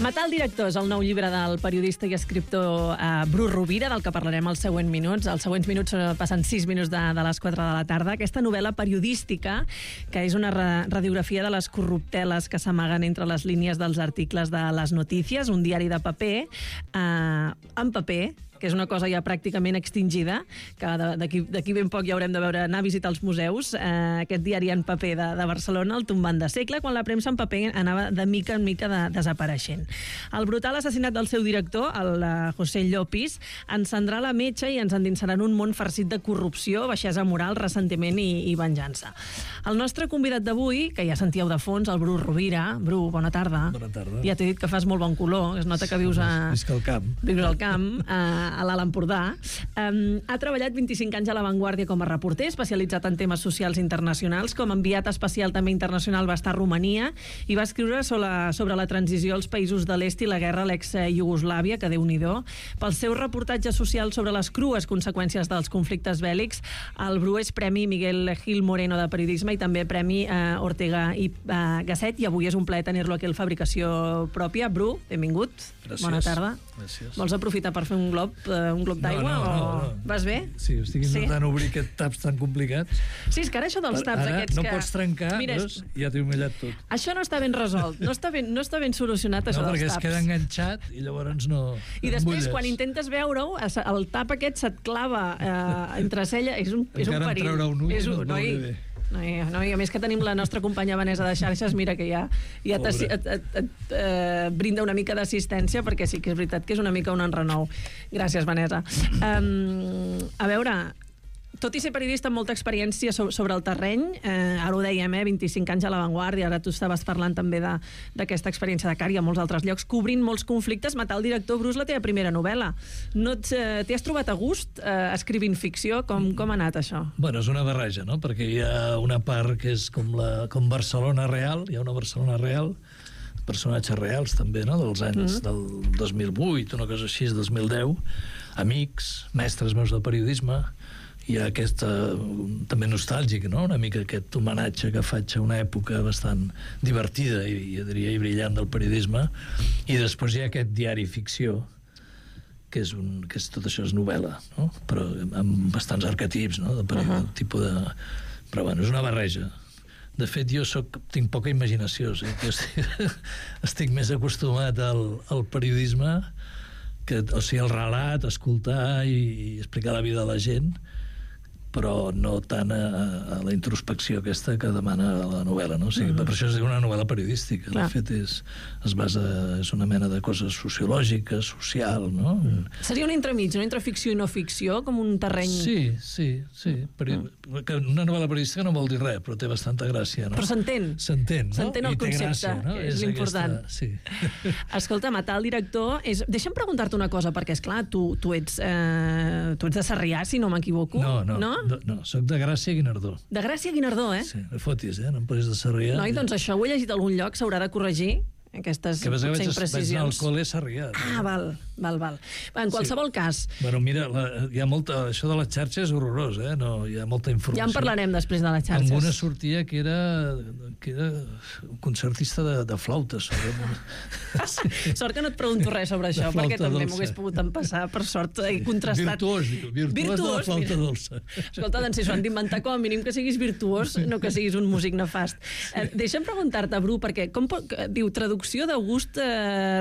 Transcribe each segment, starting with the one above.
Matar el director és el nou llibre del periodista i escriptor Bru Rovira, del que parlarem als següents minuts. Els següents minuts passen 6 minuts de les 4 de la tarda. Aquesta novel·la periodística, que és una radiografia de les corrupteles que s'amaguen entre les línies dels articles de Les Notícies, un diari de paper, en paper, que és una cosa ja pràcticament extingida, que d'aquí ben poc ja haurem de veure, anar a visitar els museus. Aquest diari en paper de Barcelona, el tombant de segle, quan la premsa en paper anava de mica en mica desapareixent. El brutal assassinat del seu director, el José Llopis, encendrà la metxa i ens endinsarà en un món farcit de corrupció, baixesa moral, ressentiment i venjança. El nostre convidat d'avui, que ja sentíeu de fons, el Bru Rovira. Bru, bona tarda. Bona tarda. Ja t'he dit que fas molt bon color, es nota que vius Visc al camp. Vius al camp, a l'Alt Empordà. Ha treballat 25 anys a La Vanguardia com a reporter, especialitzat en temes socials internacionals. Com a enviat especial també internacional va estar a Romania i va escriure sobre la transició als països de l'est i la guerra a l'ex-Iugoslàvia, que Déu-n'hi-do. Pel seu reportatge social sobre les crues conseqüències dels conflictes bèl·lics, el Bru és Premi Miguel Gil Moreno de Periodisme i també Premi Ortega i Gasset, i avui és un plaer tenir-lo aquí al Fabricació Pròpia. Bru, benvingut. Gràcies. Bona tarda. Gràcies. Vols aprofitar per fer un glob d'aigua? No. Vas bé? Sí, estic intentant obrir aquests taps tan complicats. Sí, és que ara això dels taps ara aquests no que... pots trencar, Mira, veus? Ja t'he humillat tot. Això no està ben resolt, no està ben solucionat, això dels perquè taps. es queda enganxat i llavors no... I després, quan intentes veure-ho, el tap aquest se't clava entre cella, és un perill. Encara en treure un ull no et veuré bé. No, i a més que tenim la nostra companya Vanessa de xarxes, mira que ja et brinda una mica d'assistència, perquè sí que és veritat que és una mica un enrenou. Gràcies, Vanessa. A veure, tot i ser periodista amb molta experiència sobre el terreny, ara ho dèiem, 25 anys a La Vanguardia, ara tu estaves parlant també d'aquesta experiència de Cari a molts altres llocs, cobrint molts conflictes. Matar el director, Bru, és la teva primera novel·la. T'hi has trobat a gust escrivint ficció? Com ha anat això? Bueno, és una barreja, no? Perquè hi ha una part que és com Barcelona real, hi ha una Barcelona real, personatges reals també, no?, dels anys del 2008, una cosa així, 2010, amics, mestres meus del periodisme. Hi ha aquesta, també nostàlgic, no?, una mica aquest homenatge que faig a una època bastant divertida i diria i brillant del periodisme. I després hi ha aquest diari ficció, que és tot això és novel·la, no?, però amb bastants arquetips, no?, tipus de... Però bueno, és una barreja. De fet, jo tinc poca imaginació, o sigui, estic més acostumat al periodisme, o sigui, al relat, escoltar i explicar la vida de la gent, però no tant a la introspecció aquesta que demana la novel·la, no? O sigui, per això és una novel·la periodística. De fet, és una mena de cosa sociològica, social, no? Seria un entremig, no? Entre ficció i no ficció, com un terreny... Sí. Una novel·la periodística no vol dir res, però té bastanta gràcia, no? Però s'entén. S'entén, no? S'entén el concepte, no? És l'important. Sí. Escolta, Matar el director... Deixa'm preguntar-te una cosa, perquè, esclar, tu ets de Sarrià, si no m'equivoco. No, soc de Gràcia i Guinardó. De Gràcia i Guinardó, eh? Sí, no fotis, no em posis de Sarrià. Noi, doncs això ho he llegit a algun lloc, s'haurà de corregir, aquestes potser imprecisions. Vaig anar al col·le Sarrià. Ah, val. En qualsevol cas... Bueno, mira, hi ha molta... Això de les xarxes és horrorós, no? Hi ha molta informació. Ja en parlarem després de les xarxes. Amb una sortia que era un concertista de flauta. Sort que no et pregunto res sobre això, perquè també m'ho hagués pogut empassar, per sort, he contrastat. Virtuós de la flauta dolça. Escolta, doncs si s'ho han d'inventar, com a mínim que siguis virtuós, no que siguis un músic nefast. Deixa'm preguntar-te, Bru, perquè diu traducció d'August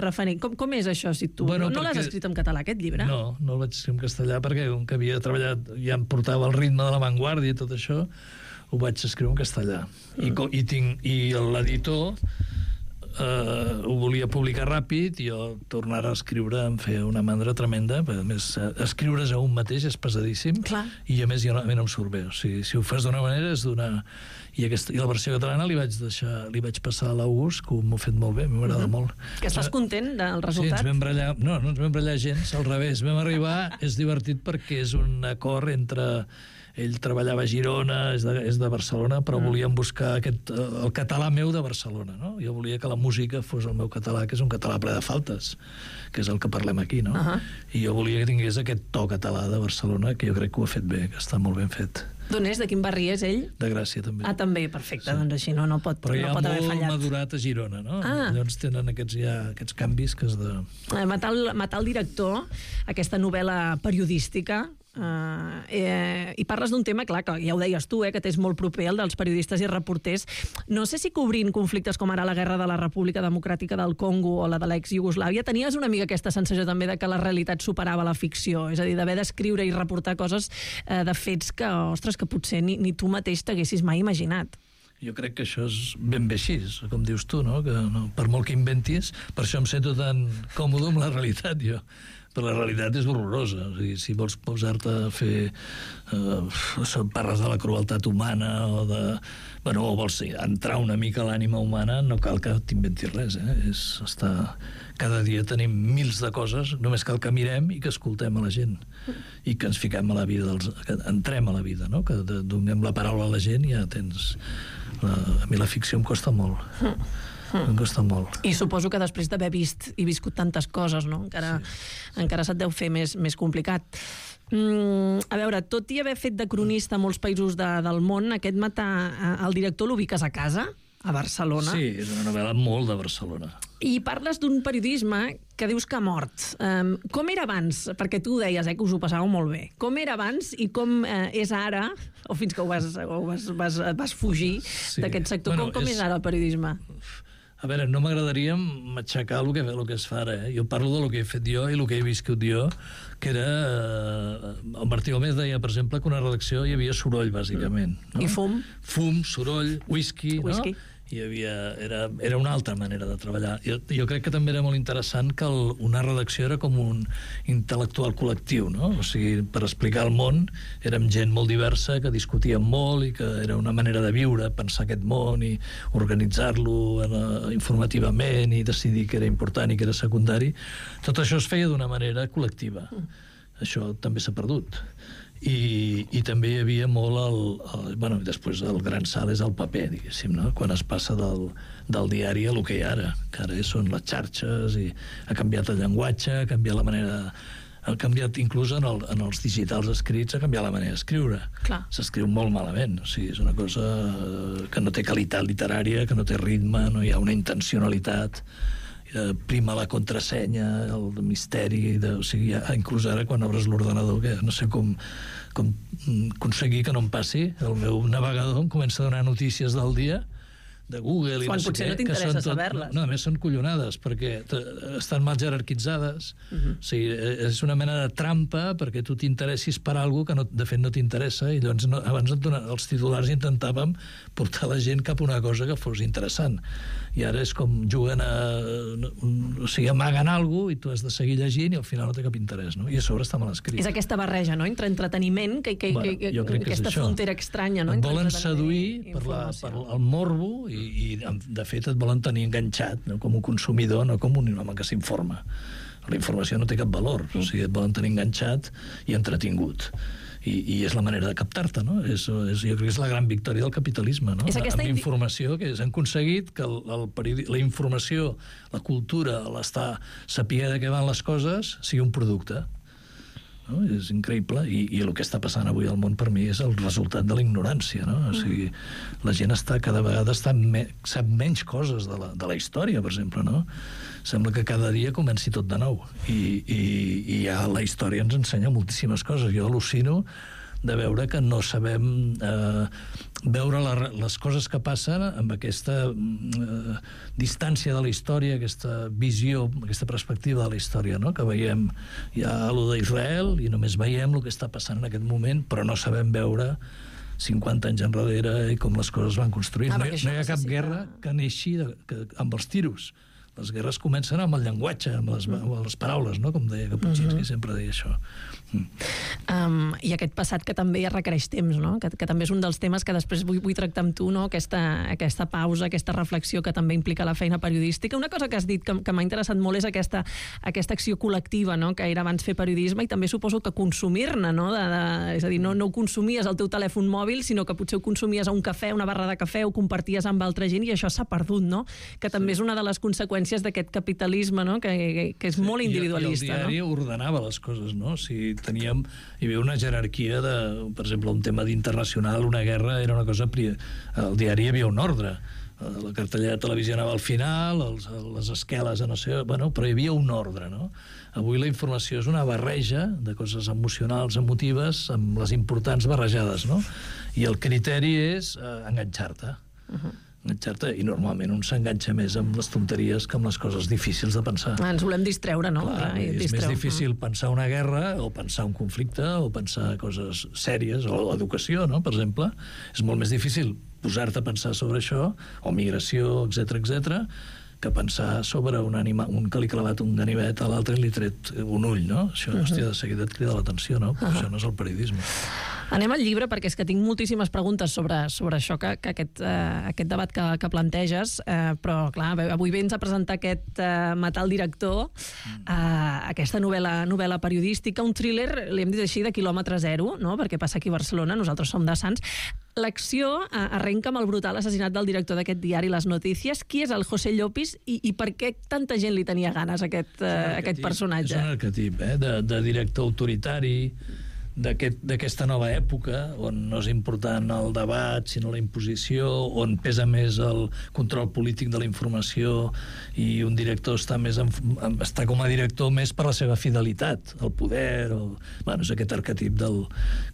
Rafaní. Com és això, si tu... No l'has escrit en català, aquest llibre? No el vaig escriure en castellà, perquè com que havia treballat, ja em portava el ritme de La Vanguardia i tot això, ho vaig escriure en castellà. I l'editor ho volia publicar ràpid i jo tornar a escriure em feia una mandra tremenda, perquè a més escriure's a un mateix és pesadíssim. Clar. I a més jo no em surt bé, o sigui, si ho fas d'una manera és d'una... I la versió catalana li vaig passar a l'August, que m'ho ha fet molt bé, m'agrada molt. Que estàs content del resultat? Sí, ens vam barallar, no ens vam barallar gens, al revés, vam arribar, és divertit perquè és un acord entre ell treballava a Girona, és de Barcelona, però volíem buscar el català meu de Barcelona, no? Jo volia que la música fos el meu català, que és un català ple de faltes, que és el que parlem aquí, no? I jo volia que tingués aquest to català de Barcelona, que jo crec que ho ha fet bé, que està molt ben fet. D'on és? De quin barri és ell? De Gràcia, també. Ah, també, perfecte, doncs així no pot haver fallat. Però ja molt madurat a Girona, no? Llavors tenen aquests canvis que has de... Matar el director, aquesta novel·la periodística, i parles d'un tema, clar, que ja ho deies tu, que t'és molt proper, el dels periodistes i reporters. No sé si cobrint conflictes com ara la guerra de la República Democràtica del Congo o la de l'ex-Iugoslàvia, tenies una mica aquesta sensació també de que la realitat superava la ficció, és a dir, d'haver d'escriure i reportar coses de fets que, ostres, que potser ni tu mateix t'haguessis mai imaginat. Jo crec que això és ben bé així, com dius tu, no? Que per molt que inventis, per això em sento tan còmode amb la realitat, jo. Però la realitat és horrorosa. O sigui, si vols posar-te a fer... parles de la crueltat humana o vols entrar una mica a l'ànima humana, no cal que t'inventis res. Cada dia tenim mils de coses, només cal que mirem i que escoltem a la gent. I que ens fiquem a la vida, que entrem a la vida, no? Que donem la paraula a la gent i ja tens... A mi la ficció em costa molt. Em costa molt. I suposo que després d'haver vist i viscut tantes coses, no? Encara se't deu fer més complicat. A veure, tot i haver fet de cronista a molts països del món, aquest Matar el director l'ubiques a casa, a Barcelona. Sí, és una novel·la molt de Barcelona. I parles d'un periodisme que dius que ha mort. Com era abans? Perquè tu ho deies, que us ho passàveu molt bé. Com era abans i com és ara, o fins que vas fugir d'aquest sector, com és ara el periodisme? A veure, no m'agradaria matxacar el que es fa ara. Jo parlo del que he fet jo i el que he viscut jo, que era... El Martí Gómez deia, per exemple, que una redacció hi havia soroll, bàsicament. No? I fum? Fum, soroll, whisky. No? Era una altra manera de treballar. Jo crec que també era molt interessant que una redacció era com un intel·lectual col·lectiu, no? O sigui, per explicar el món érem gent molt diversa, que discutíem molt i que era una manera de viure, pensar aquest món i organitzar-lo informativament i decidir què era important i què era secundari. Tot això es feia d'una manera col·lectiva. Això també s'ha perdut. I també hi havia molt després el gran salt és el paper, diguéssim, no? Quan es passa del diari a el que hi ha ara, que ara són les xarxes i ha canviat el llenguatge, ha canviat la manera ha canviat inclús en els digitals escrits, ha canviat la manera d'escriure. S'escriu molt malament, o sigui, és una cosa que no té qualitat literària, que no té ritme, no hi ha una intencionalitat, prima la contrasenya, el misteri, o sigui, inclús ara quan obres l'ordenador, que no sé com aconseguir que no em passi, el meu navegador em comença a donar notícies del dia, de Google i quan no sé potser no t'interessa saber-les. No, a més són collonades, perquè estan mal jerarquitzades. O sigui, és una mena de trampa perquè tu t'interessis per alguna cosa que de fet no t'interessa, i llavors abans els titulars intentàvem portar la gent cap a una cosa que fos interessant. I ara és com juguen o sigui, amaguen alguna cosa i tu has de seguir llegint i al final no té cap interès, no? I a sobre està mal escrit. És aquesta barreja, no?, entre entreteniment, aquesta frontera estranya, no? Et volen seduir per el morbo i de fet et volen tenir enganxat, no? Com un consumidor, no com un home que s'informa. La informació no té cap valor, o sigui, et volen tenir enganxat i entretingut. I és la manera de captar-te, no? Jo crec que és la gran victòria del capitalisme, no? Amb informació, que han aconseguit que la informació, la cultura, saber de què van les coses, sigui un producte. No? És increïble, i el que està passant avui al món per mi és el resultat de la ignorància, no? O sigui, la gent cada vegada sap menys coses de la història, per exemple, no? Sembla que cada dia comenci tot de nou i ja la història ens ensenya moltíssimes coses. Jo al·lucino de veure que no sabem veure les coses que passen amb aquesta distància de la història, aquesta visió, aquesta perspectiva de la història, no? Que veiem ja allò d'Israel i només veiem el que està passant en aquest moment, però no sabem veure 50 anys enrere i com les coses van construir. No hi ha cap guerra que neixi amb els tiros. Les guerres comencen amb el llenguatge, amb les paraules, no? Com deia Kapuscinski, sempre deia això. I aquest passat que també requereix temps, no? Que també és un dels temes que després vull tractar amb tu, no? Aquesta pausa, aquesta reflexió que també implica la feina periodística. Una cosa que has dit que m'ha interessat molt és aquesta acció col·lectiva, no? Que era abans fer periodisme, i també suposo que consumir-ne, no? És a dir, no ho consumies al teu telèfon mòbil, sinó que potser ho consumies a un cafè, una barra de cafè, ho comparties amb altra gent, i això s'ha perdut, no? Que també és una de les conseqüències d'aquest capitalisme, no? Que és molt individualista. I el diari ordenava les coses, no? Si hi havia una jerarquia de, per exemple, un tema d'internacional, una guerra, era una cosa... Al diari hi havia un ordre. La cartellera de televisió anava al final, les esqueles, no sé... Bueno, però hi havia un ordre, no? Avui la informació és una barreja de coses emocionals, emotives, amb les importants barrejades, no? I el criteri és enganxar-te. Enganxar-te, i normalment un s'enganxa més amb les tonteries que amb les coses difícils de pensar. Ens volem distreure, no? Clar, és més difícil pensar una guerra, o pensar un conflicte, o pensar coses sèries, o l'educació, no?, per exemple. És molt més difícil posar-te a pensar sobre això, o migració, etc, que pensar sobre un que li ha clavat un ganivet a l'altre i li ha tret un ull, no? Això, hòstia, de seguida et crida l'atenció, no? Però això no és el periodisme. Anem al llibre, perquè és que tinc moltíssimes preguntes sobre això, que aquest debat que planteges, però, clar, avui vens a presentar aquest Matar el director, aquesta novel·la periodística, un thriller, li hem dit així, de quilòmetre zero, no?, perquè passa aquí a Barcelona, nosaltres som de Sants. L'acció arrenca amb el brutal assassinat del director d'aquest diari, Les Notícies. Qui és el José Llopis i per què tanta gent li tenia ganes a aquest personatge? És un arquetip, de director autoritari, d'aquesta nova època, on no és important el debat, sinó la imposició, on pesa més el control polític de la informació, i un director està com a director més per la seva fidelitat al poder. Bueno, és aquest arquetip del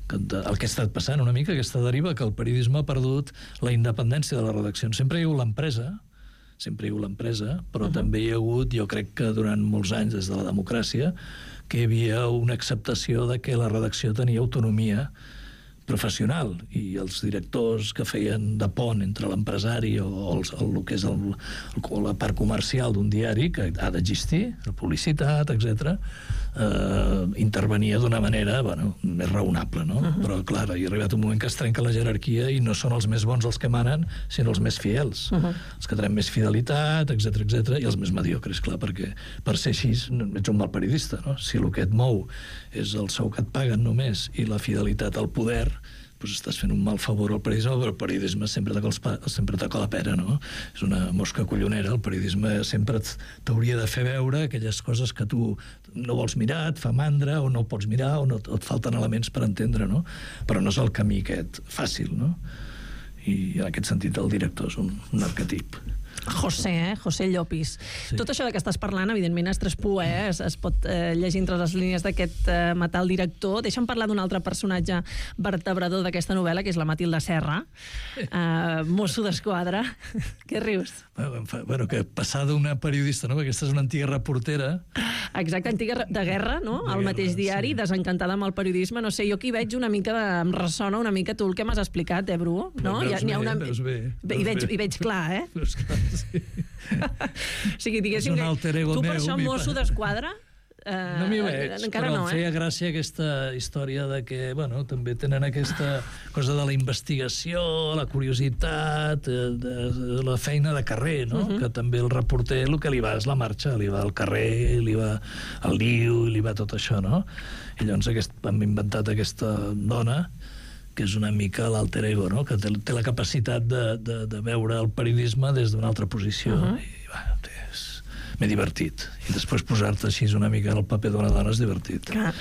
que ha estat passant una mica, aquesta deriva, que el periodisme ha perdut la independència de les redaccions. Sempre hi ha hagut l'empresa, però també hi ha hagut, jo crec que durant molts anys, des de la democràcia, que hi havia una acceptació de que la redacció tenia autonomia professional, i els directors que feien de pont entre l'empresari o el que és la part comercial d'un diari, que ha d'existir, la publicitat, etc., intervenia d'una manera, més raonable, no? Però, clar, hi ha arribat un moment que es trenca la jerarquia i no són els més bons els que manen, sinó els més fidels, els que tenen més fidelitat, etc, i els més mediocres, clar, perquè per ser així ets un mal periodista, no? Si el que et mou és el sou que et paguen només i la fidelitat al poder, doncs estàs fent un mal favor al periodisme, però el periodisme sempre toca la pera, no? És una mosca collonera. El periodisme sempre t'hauria de fer veure aquelles coses que tu no vols mirar, et fa mandra, o no pots mirar, o et falten elements per entendre, no? Però no és el camí aquest fàcil, no? I en aquest sentit el director és un arquetip. José Llopis. Sí. Tot això de què estàs parlant, evidentment, es traspua, es pot llegir entre les línies d'aquest Matar el director. Deixa'm parlar d'un altre personatge vertebrador d'aquesta novel·la, que és la Matilde Serra, mosso d'esquadra. Què rius? Bueno, que passar d'una periodista, no? Perquè aquesta és una antiga reportera. Exacte, antiga de guerra, no? Al mateix diari, desencantada amb el periodisme. No sé, jo aquí veig una mica em ressona una mica tu el que m'has explicat, Bru? No? Veus bé. I veig clar, eh? Veus clar, sí. O sigui, diguéssim, tu per això mosso d'esquadra? No m'hi veig, encara però no, em feia gràcia aquesta història de que, també tenen aquesta cosa de la investigació, la curiositat, la feina de carrer, no? Que també el reporter el que li va és la marxa, li va al carrer, li va al liu, li va tot això, no? I llavors hem inventat aquesta dona que és una mica l'alter ego, no? Que té la capacitat de veure el periodisme des d'una altra posició. I m'he divertit. I després posar-te així una mica en el paper d'una dona és divertit. Clar.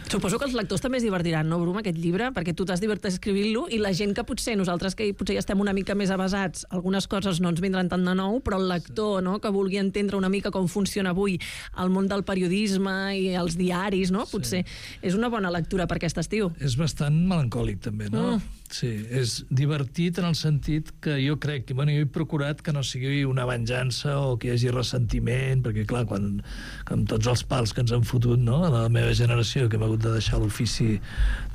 Suposo que els lectors també es divertiran, no, Bru, amb aquest llibre? Perquè tu t'has divertit escrivint-lo, i la gent que nosaltres que potser ja estem una mica més avasats, algunes coses no ens vindran tant de nou, però el lector, no?, que vulgui entendre una mica com funciona avui el món del periodisme i els diaris, no?, potser és una bona lectura per aquest estiu. És bastant melancòlic, també, no? Sí, és divertit en el sentit que jo crec que, jo he procurat que no sigui una venjança o que hi hagi ressentiment, perquè, clar, amb tots els pals que ens han fotut, no?, a la meva generació, que hem hagut de deixar l'ofici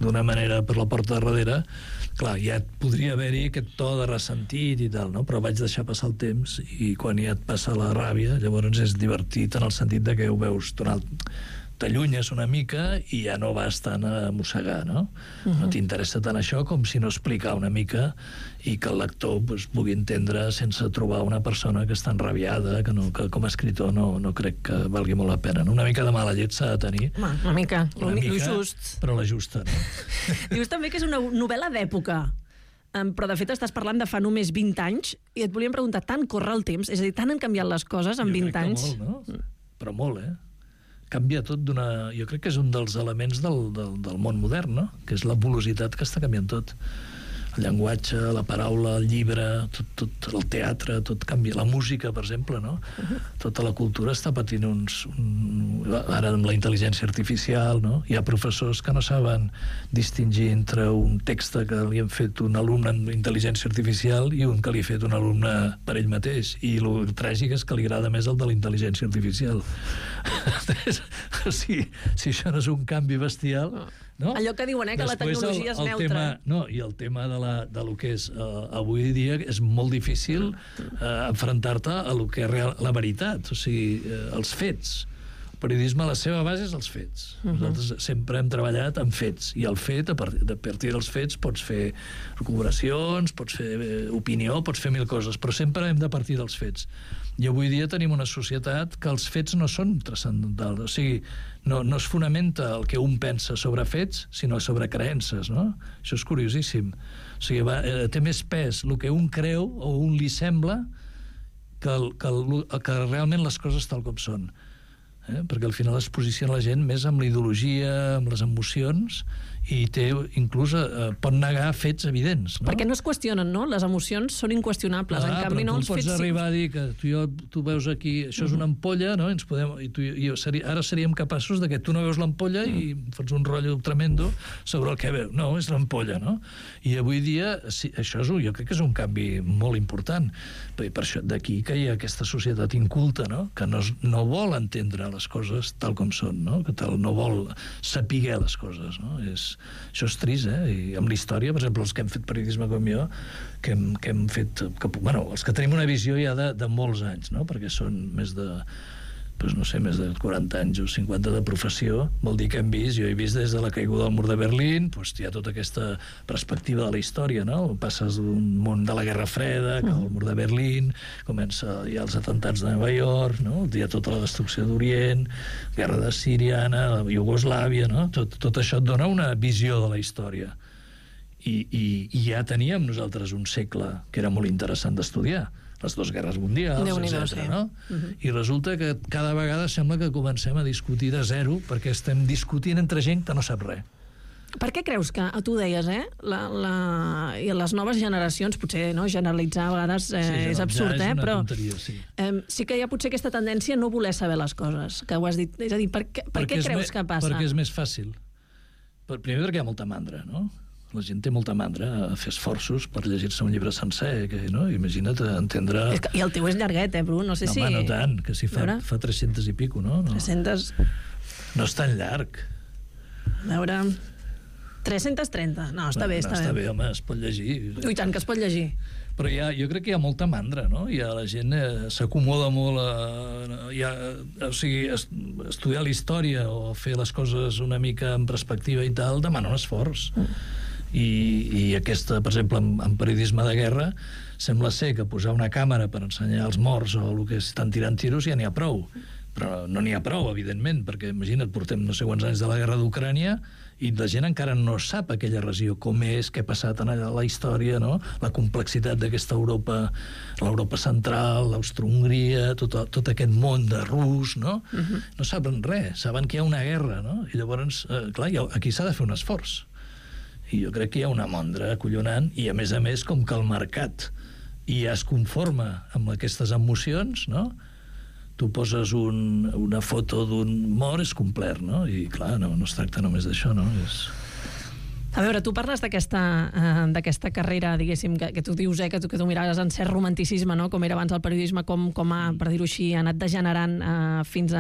d'una manera per la porta de darrere, clar, ja podria haver-hi aquest to de ressentit i tal, no? Però vaig deixar passar el temps, i quan ja et passa la ràbia, llavors és divertit en el sentit de que ho veus t'allunyes una mica i ja no vas tant a mossegar, no? No t'interessa tant això com si no explicar una mica i que el lector pugui entendre sense trobar una persona que està enrabiada, que com a escritor no crec que valgui molt la pena. Una mica de mala llet s'ha de tenir. Una mica, just. Però la justa, no? Dius també que és una novel·la d'època, però de fet estàs parlant de fa només 20 anys i et volíem preguntar, tant corre el temps? És a dir, tant han canviat les coses en 20 anys? Jo crec que molt, no? Però molt, canvia tot jo crec que és un dels elements del món modern, no? Que és la volositat que està canviant tot. El llenguatge, la paraula, el llibre, tot el teatre, tot canvia. La música, per exemple, no? Tota la cultura està patint ara amb la intel·ligència artificial, no? Hi ha professors que no saben distingir entre un text que li han fet un alumne amb intel·ligència artificial i un que li ha fet un alumne per ell mateix. I el tràgic és que li agrada més el de la intel·ligència artificial. Si això no és un canvi bestial... No? Allò que diuen, que la tecnologia és neutra. I el tema de lo que és avui dia és molt difícil enfrontar-te a lo que és la veritat, o sigui, els fets. El periodisme, la seva base és els fets. Nosaltres sempre hem treballat amb fets, i el fet, a partir dels fets, pots fer recuperacions, pots fer opinió, pots fer mil coses, però sempre hem de partir dels fets. I avui dia tenim una societat que els fets no són transcendentals, o sigui, no es fonamenta el que un pensa sobre fets, sinó sobre creences, no? Això és curiosíssim. O sigui, té més pes el que un creu o un li sembla que realment les coses tal com són. Perquè al final es posiciona la gent més amb la ideologia, amb les emocions, i inclús pot negar fets evidents. No? Perquè no es qüestionen, no? Les emocions són inqüestionables. En canvi, no els fets... Però tu pots arribar a dir que tu veus aquí, això és una ampolla, no? Ara seríem capaços de que tu no veus l'ampolla i fots un rotllo tremendo sobre el que veus. No, és l'ampolla, no? I avui dia, això jo crec que és un canvi molt important. Per això d'aquí que hi ha aquesta societat inculta, no? Que no vol entendre les coses tal com són, no? Que no vol saber les coses, no? Això és trist, I amb la història, per exemple, els que hem fet periodisme com jo, que hem fet... els que tenim una visió ja de molts anys, no? Perquè són més de... més de 40 anys o 50 de professió, vol dir que hem vist, jo he vist des de la caiguda del mur de Berlín, hi ha tota aquesta perspectiva de la història, no? Passes d'un món de la Guerra Freda, que el mur de Berlín, hi ha els atentats de Nova York, no? Hi ha tota la destrucció d'Orient, guerra de Síria, Iugoslàvia, no? Tot això et dona una visió de la història. I ja teníem nosaltres un segle que era molt interessant d'estudiar, les dues guerres mundials, etc. No? I resulta que cada vegada sembla que comencem a discutir de zero perquè estem discutint entre gent que no sap res. Per què creus que, tu deies, i les noves generacions, potser generalitzar a vegades és absurd, però sí que hi ha potser aquesta tendència a no voler saber les coses, que ho has dit. És a dir, per què creus que passa? Perquè és més fàcil. Primer perquè hi ha molta mandra, no? La gent té molta mandra a fer esforços per llegir-se un llibre sencer, no? Imagina't entendre... I el teu és llarguet, Bru? No sé si... No tant, que si fa 300 i pico, no? 300... No és tan llarg. A veure... 330. No, està bé, està bé. Està bé, home, es pot llegir. I tant que es pot llegir. Però jo crec que hi ha molta mandra, no? La gent s'acomoda molt o sigui, estudiar la història o fer les coses una mica en perspectiva i tal demana un esforç. I aquesta, per exemple, en periodisme de guerra, sembla ser que posar una càmera per ensenyar els morts o el que estan tirant tiros ja n'hi ha prou. Però no n'hi ha prou, evidentment, perquè imagina't, portem no sé quants anys de la guerra d'Ucrània i la gent encara no sap aquella regió, com és, què ha passat en la història, no? La complexitat d'aquesta Europa, l'Europa central, l'Austro-Hongria, tot aquest món de rus, no? No saben res, saben que hi ha una guerra, no? I llavors, clar, aquí s'ha de fer un esforç. I jo crec que hi ha una mandra acollonant i, a més, com que el mercat ja es conforma amb aquestes emocions, no? Tu poses una foto d'un mort, és complet, no? I, clar, no es tracta només d'això, no? A veure, tu parles d'aquesta carrera, diguéssim, que tu dius, que tu miraves en cert romanticisme, no? Com era abans el periodisme, com per dir-ho així, ha anat degenerant fins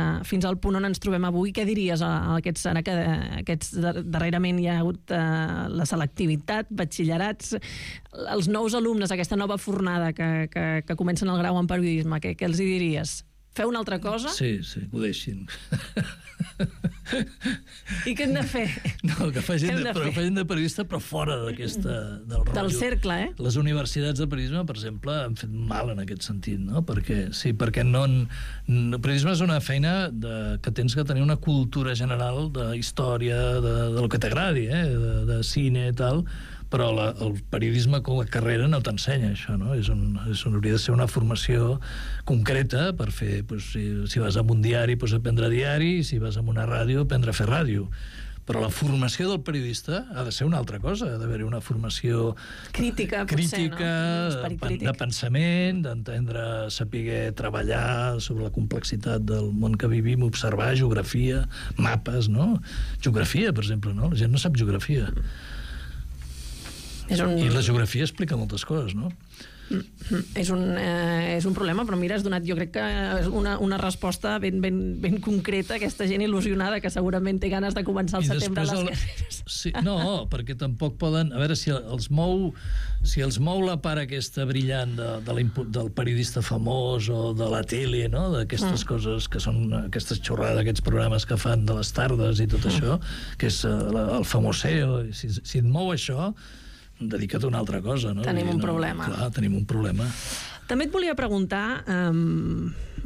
al punt on ens trobem avui. Què diries a aquests darrerament hi ha hagut la selectivitat, batxillerats, els nous alumnes, aquesta nova fornada que comencen el grau en periodisme, què els hi diries? Feu una altra cosa? Sí, que ho deixin. I què hem de fer? No, que facin de periodista, però fora del rotllo. Del cercle, eh? Les universitats de periodisme, per exemple, han fet mal en aquest sentit, no? Perquè el periodisme és una feina que tens que tenir una cultura general de història, del que t'agradi, de cine i tal, però el periodisme com a carrera no t'ensenya això, no? Hauria de ser una formació concreta per fer, si vas a un diari, aprendre diari, si vas a una ràdio, aprendre a fer ràdio. Però la formació del periodista ha de ser una altra cosa, ha d'haver-hi una formació crítica, potser, no? De pensament, d'entendre, saber treballar sobre la complexitat del món que vivim, observar geografia, mapes, no? Geografia, per exemple, no? La gent no sap geografia. I la geografia explica moltes coses, no? És un problema, però mira, has donat, jo crec que una resposta ben concreta a aquesta gent il·lusionada que segurament té ganes de començar al setembre les carreres. Sí, no, perquè tampoc poden... A veure, si els mou la part aquesta brillant del periodista famós o de la tele, no? D'aquestes coses que són aquestes xorrades, aquests programes que fan de les tardes i tot això, que és el famoseo. Si et mou això, dedica't a una altra cosa, no? Tenim un problema. Clar, tenim un problema. També et volia preguntar,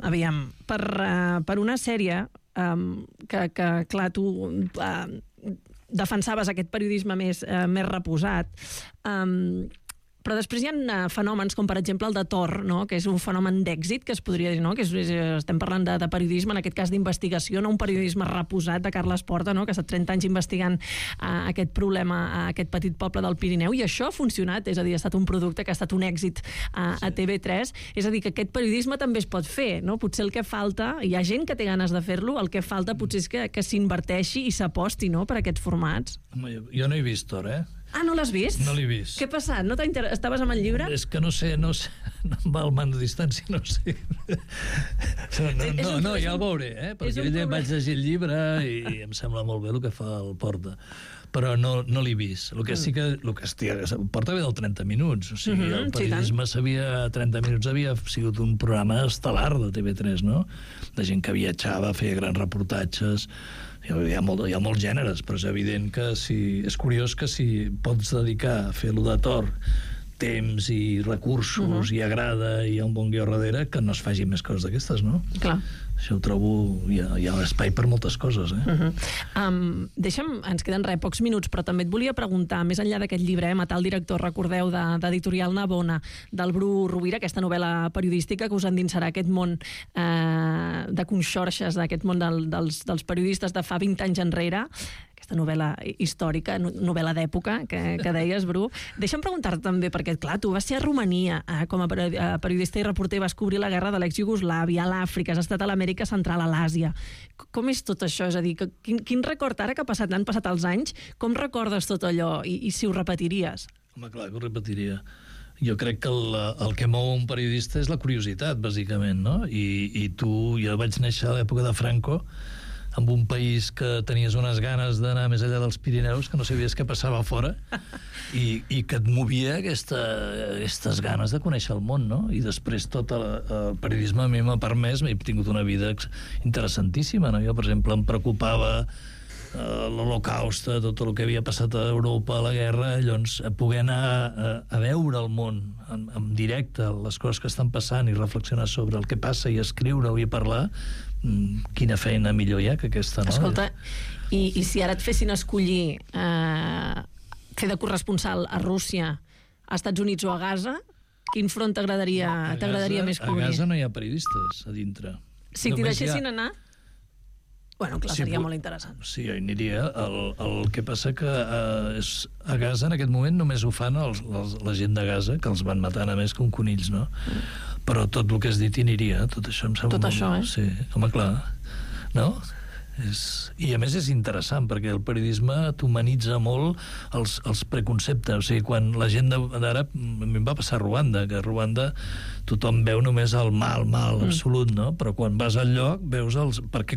aviam, per una sèrie que clar, tu defensaves aquest periodisme més reposat, però després hi ha fenòmens com, per exemple, el de Tor, no? Que és un fenomen d'èxit, que es podria dir, no? Que estem parlant de periodisme, en aquest cas d'investigació, no un periodisme reposat de Carles Porta, no? Que ha estat 30 anys investigant aquest problema a aquest petit poble del Pirineu, i això ha funcionat, és a dir, ha estat un producte que ha estat un èxit a TV3, és a dir, que aquest periodisme també es pot fer, no? Potser el que falta, hi ha gent que té ganes de fer-lo, el que falta potser és que s'inverteixi i s'aposti, no?, per aquests formats. Jo no he vist Tor, Ah, no l'has vist? No l'he vist. Què ha passat? No estaves amb el llibre? És que no sé, no em va el man de distància, no sé. No, ja el veuré, perquè vaig llegir el llibre i em sembla molt bé el que fa el Porta. Però no l'he vist. El que sí que... Porta ve del 30 minuts, o sigui, el periodisme 30 minuts havia sigut un programa estel·lar de TV3, no? De gent que viatjava, feia grans reportatges. Hi ha molts gèneres, però és evident que és curiós que si pots dedicar a fer-lo de Tor temps i recursos i agrada i hi ha un bon guió darrere, que no es faci més coses d'aquestes, no? Clar. Això ho trobo... Hi ha espai per moltes coses, Deixa'm, ens queden pocs minuts, però també et volia preguntar, més enllà d'aquest llibre, Matar el director, recordeu, d'Editorial Navona, del Bru Rovira, aquesta novel·la periodística que us endinsarà aquest món de conxorxes, d'aquest món dels periodistes de fa 20 anys enrere, aquesta novel·la històrica, novel·la d'època, que deies, Bru. Deixa'm preguntar-te també, perquè, clar, tu vas ser a Romania com a periodista i reporter, vas cobrir la guerra de l'ex-Iugoslàvia, a l'Àfrica, has estat a l'Amèrica Central, a l'Àsia. Com és tot això? És a dir, quin record, ara que han passat els anys, com recordes tot allò i si ho repetiries? Home, clar que ho repetiria. Jo crec que el que mou un periodista és la curiositat, bàsicament, no? I jo vaig néixer a l'època de Franco, amb un país que tenies unes ganes d'anar més enllà dels Pirineus, que no sabies què passava fora, i que et movia aquestes ganes de conèixer el món, no? I després tot el periodisme a mi m'ha permès, he tingut una vida interessantíssima, no? Jo, per exemple, em preocupava l'Holocaust, tot el que havia passat a Europa, a la guerra, llavors poder anar a veure el món en directe, les coses que estan passant i reflexionar sobre el que passa i escriure-ho i parlar, quina feina millor hi ha que aquesta, no? Escolta, i si ara et fessin escollir fer de corresponsal a Rússia, a Estats Units o a Gaza, quin front t'agradaria més cobrir? A Gaza no hi ha periodistes a dintre. Si t'hi deixessin anar? Bueno, clar, seria molt interessant. Sí, jo hi aniria. El que passa que a Gaza en aquest moment només ho fan la gent de Gaza, que els van matant a més com conills, no? Però tot el que has dit hi aniria, tot això em sembla... Tot això, Sí, home, clar. No? I a més és interessant, perquè el periodisme t'humanitza molt els preconceptes. O sigui, quan la gent d'ara... A mi em va passar a Ruanda, que a Ruanda tothom veu només el mal absolut, no? Però quan vas al lloc veus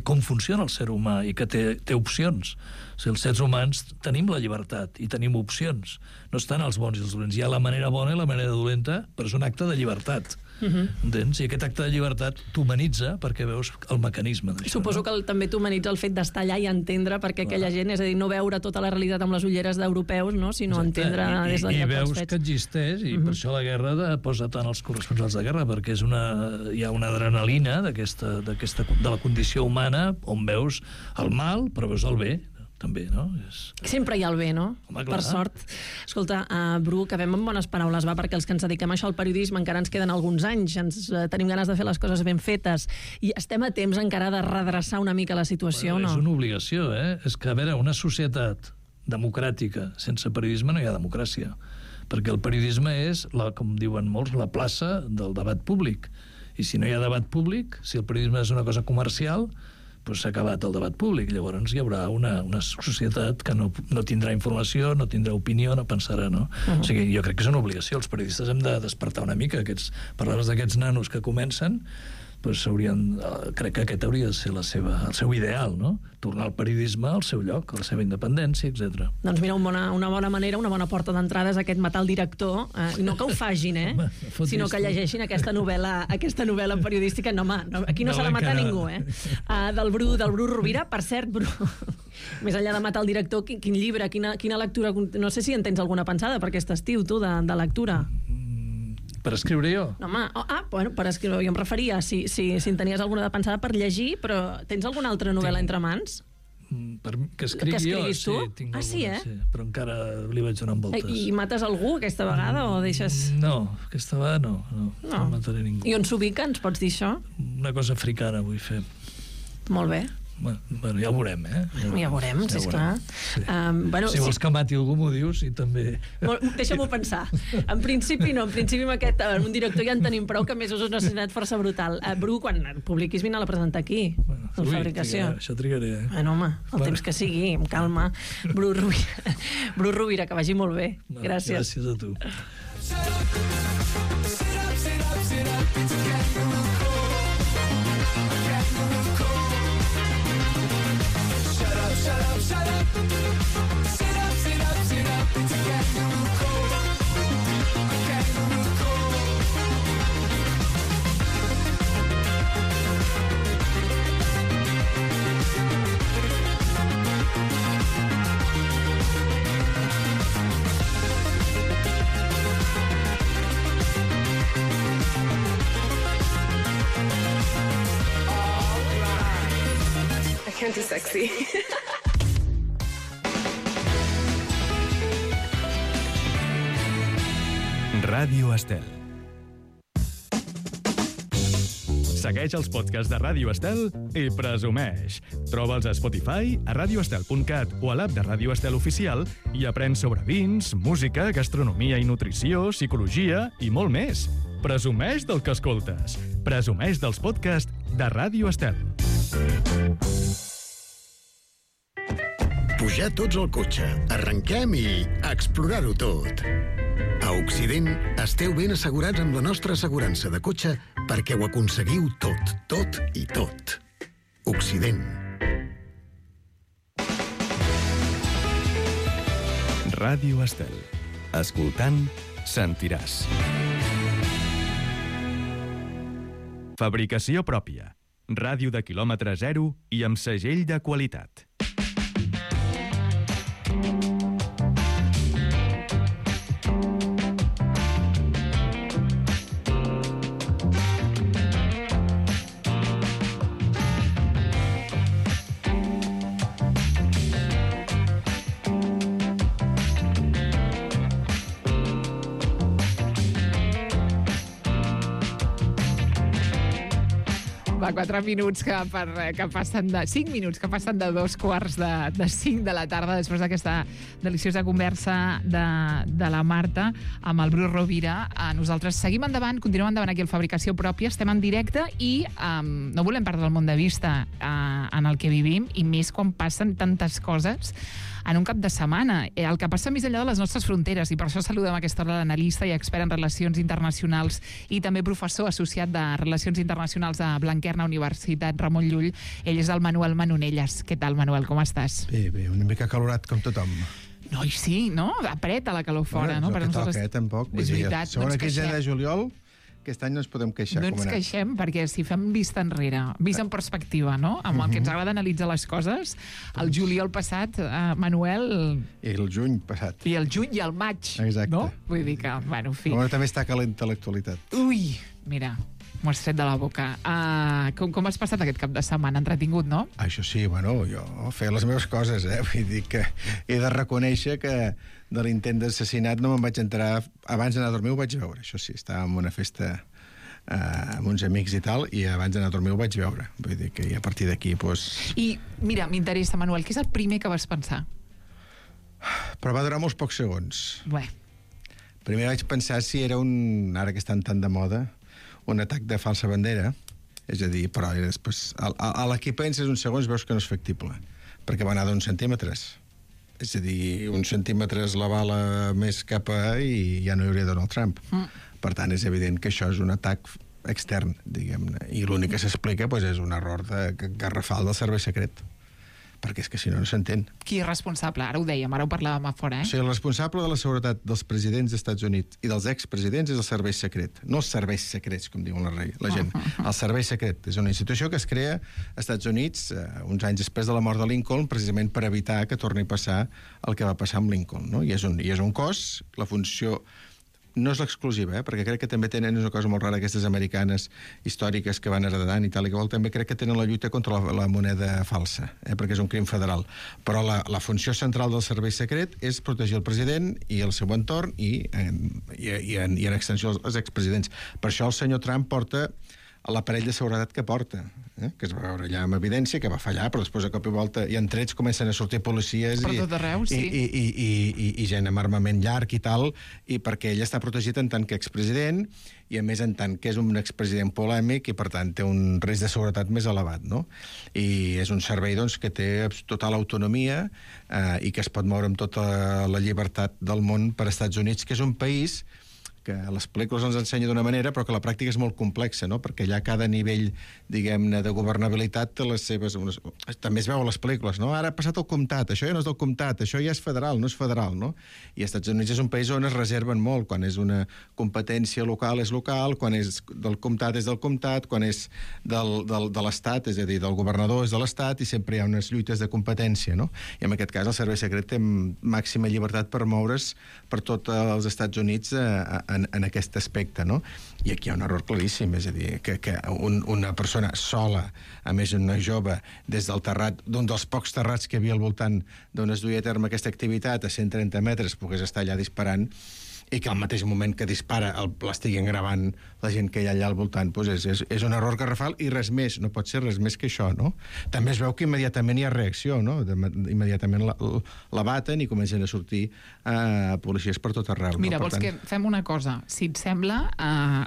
com funciona el ser humà i que té opcions. O sigui, els sers humans tenim la llibertat i tenim opcions. No estan els bons i els dolents. Hi ha la manera bona i la manera dolenta, però és un acte de llibertat. Entens? I aquest acte de llibertat t'humanitza perquè veus el mecanisme d'això. Suposo que també t'humanitza el fet d'estar allà i entendre perquè aquella gent, és a dir, no veure tota la realitat amb les ulleres d'europeus, no? Sinó entendre des del lloc dels fets. I veus que existeix, i per això la guerra posa tant els corresponsals de guerra, perquè hi ha una adrenalina de la condició humana on veus el mal, però veus el bé, també, no? Sempre hi ha el bé, no? Home, per sort. Escolta, Bru, acabem amb bones paraules, va, perquè els que ens dediquem a això al periodisme encara ens queden alguns anys, tenim ganes de fer les coses ben fetes, i estem a temps encara de redreçar una mica la situació, no? És una obligació, És que, a veure, una societat democràtica sense periodisme no hi ha democràcia, perquè el periodisme és, com diuen molts, la plaça del debat públic. I si no hi ha debat públic, si el periodisme és una cosa comercial, doncs s'ha acabat el debat públic. Llavors hi haurà una societat que no tindrà informació, no tindrà opinió, no pensarà, no? O sigui, jo crec que és una obligació. Els periodistes hem de despertar una mica. Parlaves d'aquests nanos que comencen, doncs crec que aquest hauria de ser el seu ideal, no? Tornar al periodisme al seu lloc, a la seva independència, etc. Doncs mira, una bona manera, una bona porta d'entrada és aquest matar el director, no que ho fagin, sinó que llegeixin aquesta novel·la periodística. No, home, aquí no s'ha de matar ningú, del Bru Rovira. Per cert, Bru, més enllà de matar el director, quin llibre, quina lectura, no sé si en tens alguna pensada per aquest estiu, tu, de lectura? Per escriure jo? No, home, bueno, per escriure, jo em referia, si en tenies alguna de pensada per llegir, però tens alguna altra novel·la entre mans? Que escrigui jo? Sí, tinc alguna, sí, però encara li vaig donant voltes. I mates algú aquesta vegada o deixes... No, aquesta vegada no mataré ningú. I on s'ubica, ens pots dir això? Una cosa africana vull fer. Molt bé. Bueno, ja ho veurem, Ja ho veurem, si esclar. Sí. Si vols que mati algú m'ho dius i també... Deixa'm-ho pensar. En principi no, amb un director ja en tenim prou, que a més és una necessitat força brutal. Bru, quan publiquis vine a la presentar aquí, a la fabricació. Això trigaré, Bueno, home, el temps que sigui, amb calma. Bru Rovira, que vagi molt bé. Gràcies. Gràcies a tu. Can't do sexy. Ràdio Estel. Segueix els podcasts de Ràdio Estel i presumeix. Troba'ls a Spotify, a radioestel.cat o a l'app de Ràdio Estel Oficial i aprèn sobre vins, música, gastronomia i nutrició, psicologia i molt més. Presumeix del que escoltes. Presumeix dels podcasts de Ràdio Estel. Pujar tots al cotxe, arrenquem i explorar-ho tot. A Occident esteu ben assegurats amb la nostra assegurança de cotxe perquè ho aconseguiu tot i tot. Occident. Ràdio Estel. Escoltant, sentiràs. Fabricació pròpia. Ràdio de quilòmetre zero i amb segell de qualitat. Va, 4 minuts que passen de... 5 minuts que passen de 2:45 de la tarda després d'aquesta deliciosa conversa de la Marta amb el Bru Rovira. Nosaltres seguim endavant, continuem endavant aquí al Fabricació Pròpia, estem en directe i no volem perdre el món de vista en el que vivim, i més quan passen tantes coses en un cap de setmana. El que passa més enllà de les nostres fronteres, i per això saludem a aquesta hora l'analista i expert en relacions internacionals i també professor associat de Relacions Internacionals de Blanquerna Universitat Ramon Llull. Ell és el Manuel Manonelles. Què tal, Manuel, com estàs? Bé, una mica calorat com tothom. No, sí, no? Apreta la calor fora, no? És el que toca, tampoc. És veritat. Segona quinzena de juliol aquest any no ens podem queixar. No ens queixem, perquè si fem vista enrere, vist en perspectiva, no? Amb el que ens agrada analitzar les coses, el juliol passat, Manuel... I el juny passat. I el juny i el maig, Exacte. no? Vull dir que, bueno, en fi... Però també està calenta l'actualitat. Ui, mira, m'ho has tret de la boca. Com has passat aquest cap de setmana? Entretingut, no? Això sí, bueno, jo feia les meves coses, Vull dir que he de reconèixer que de l'intent d'assassinat no me'n vaig enterar... Abans d'anar a dormir ho vaig veure, això sí, estava en una festa amb uns amics i tal, i abans d'anar a dormir ho vaig veure. Vull dir que a partir d'aquí, doncs... I, mira, m'interessa, Manuel, què és el primer que vas pensar? Però va durar molts pocs segons. Bé. Primer vaig pensar si era ara que estan tan de moda, un atac de falsa bandera, és a dir, però després, a la que penses uns segons veus que no és factible, perquè va anar d'uns centímetres. És a dir, uns centímetres la bala més cap i ja no hi hauria Donald Trump. Per tant, és evident que això és un atac extern, diguem-ne, i l'únic que s'explica és un error garrafal del servei secret. Perquè és que si no, no s'entén. Qui és responsable? Ara ho dèiem, ara ho parlàvem a fora, O sigui, el responsable de la seguretat dels presidents dels Estats Units i dels expresidents és el servei secret. No els serveis secrets, com diuen la gent. El servei secret és una institució que es crea als Estats Units uns anys després de la mort de Lincoln, precisament per evitar que torni a passar el que va passar amb Lincoln. No? I és un cos, la funció... No és l'exclusiva, perquè crec que també tenen una cosa molt rara, aquestes americanes històriques que van heredant i tal i qual, també crec que tenen la lluita contra la moneda falsa, perquè és un crim federal. Però la funció central del servei secret és protegir el president i el seu entorn i en extensió els expresidents. Per això el senyor Trump porta l'aparell de seguretat que porta, que es va veure allà amb evidència, que va fallar, però després a cop i volta i en trets comencen a sortir policies per tot arreu, sí. i gent amb armament llarg i tal, i perquè ell està protegit en tant que expresident i a més en tant que és un expresident polèmic i per tant té un risc de seguretat més elevat, no? I és un servei doncs, que té total autonomia i que es pot moure amb tota la llibertat del món per als Estats Units, que és un país que a les pel·lícules ens ensenya d'una manera, però que la pràctica és molt complexa, no? Perquè allà cada nivell, diguem-ne, de governabilitat té les seves... També es veu a les pel·lícules, no? Ara ha passat el comtat, això ja no és del comtat, això ja és federal, no és federal, no? I als Estats Units és un país on es reserven molt, quan és una competència local és local, quan és del comtat és del comtat, quan és de l'estat, és a dir, del governador és de l'estat, i sempre hi ha unes lluites de competència, no? I en aquest cas el servei secret té màxima llibertat per moure's per tots els Estats Units en aquest aspecte, no? I aquí hi ha un error claríssim, és a dir, que una persona sola, a més una jove, des del terrat, d'un dels pocs terrats que hi havia al voltant d'on es duia a terme aquesta activitat, a 130 metres, pogués estar allà disparant, i que al mateix moment que dispara l'estiguin gravant la gent que hi ha allà al voltant, doncs és un error garrafal i res més, no pot ser res més que això, no? També es veu que immediatament hi ha reacció, no? Immediatament la baten i comencen a sortir policies per tot arreu. Mira, vols que fem una cosa? Si et sembla,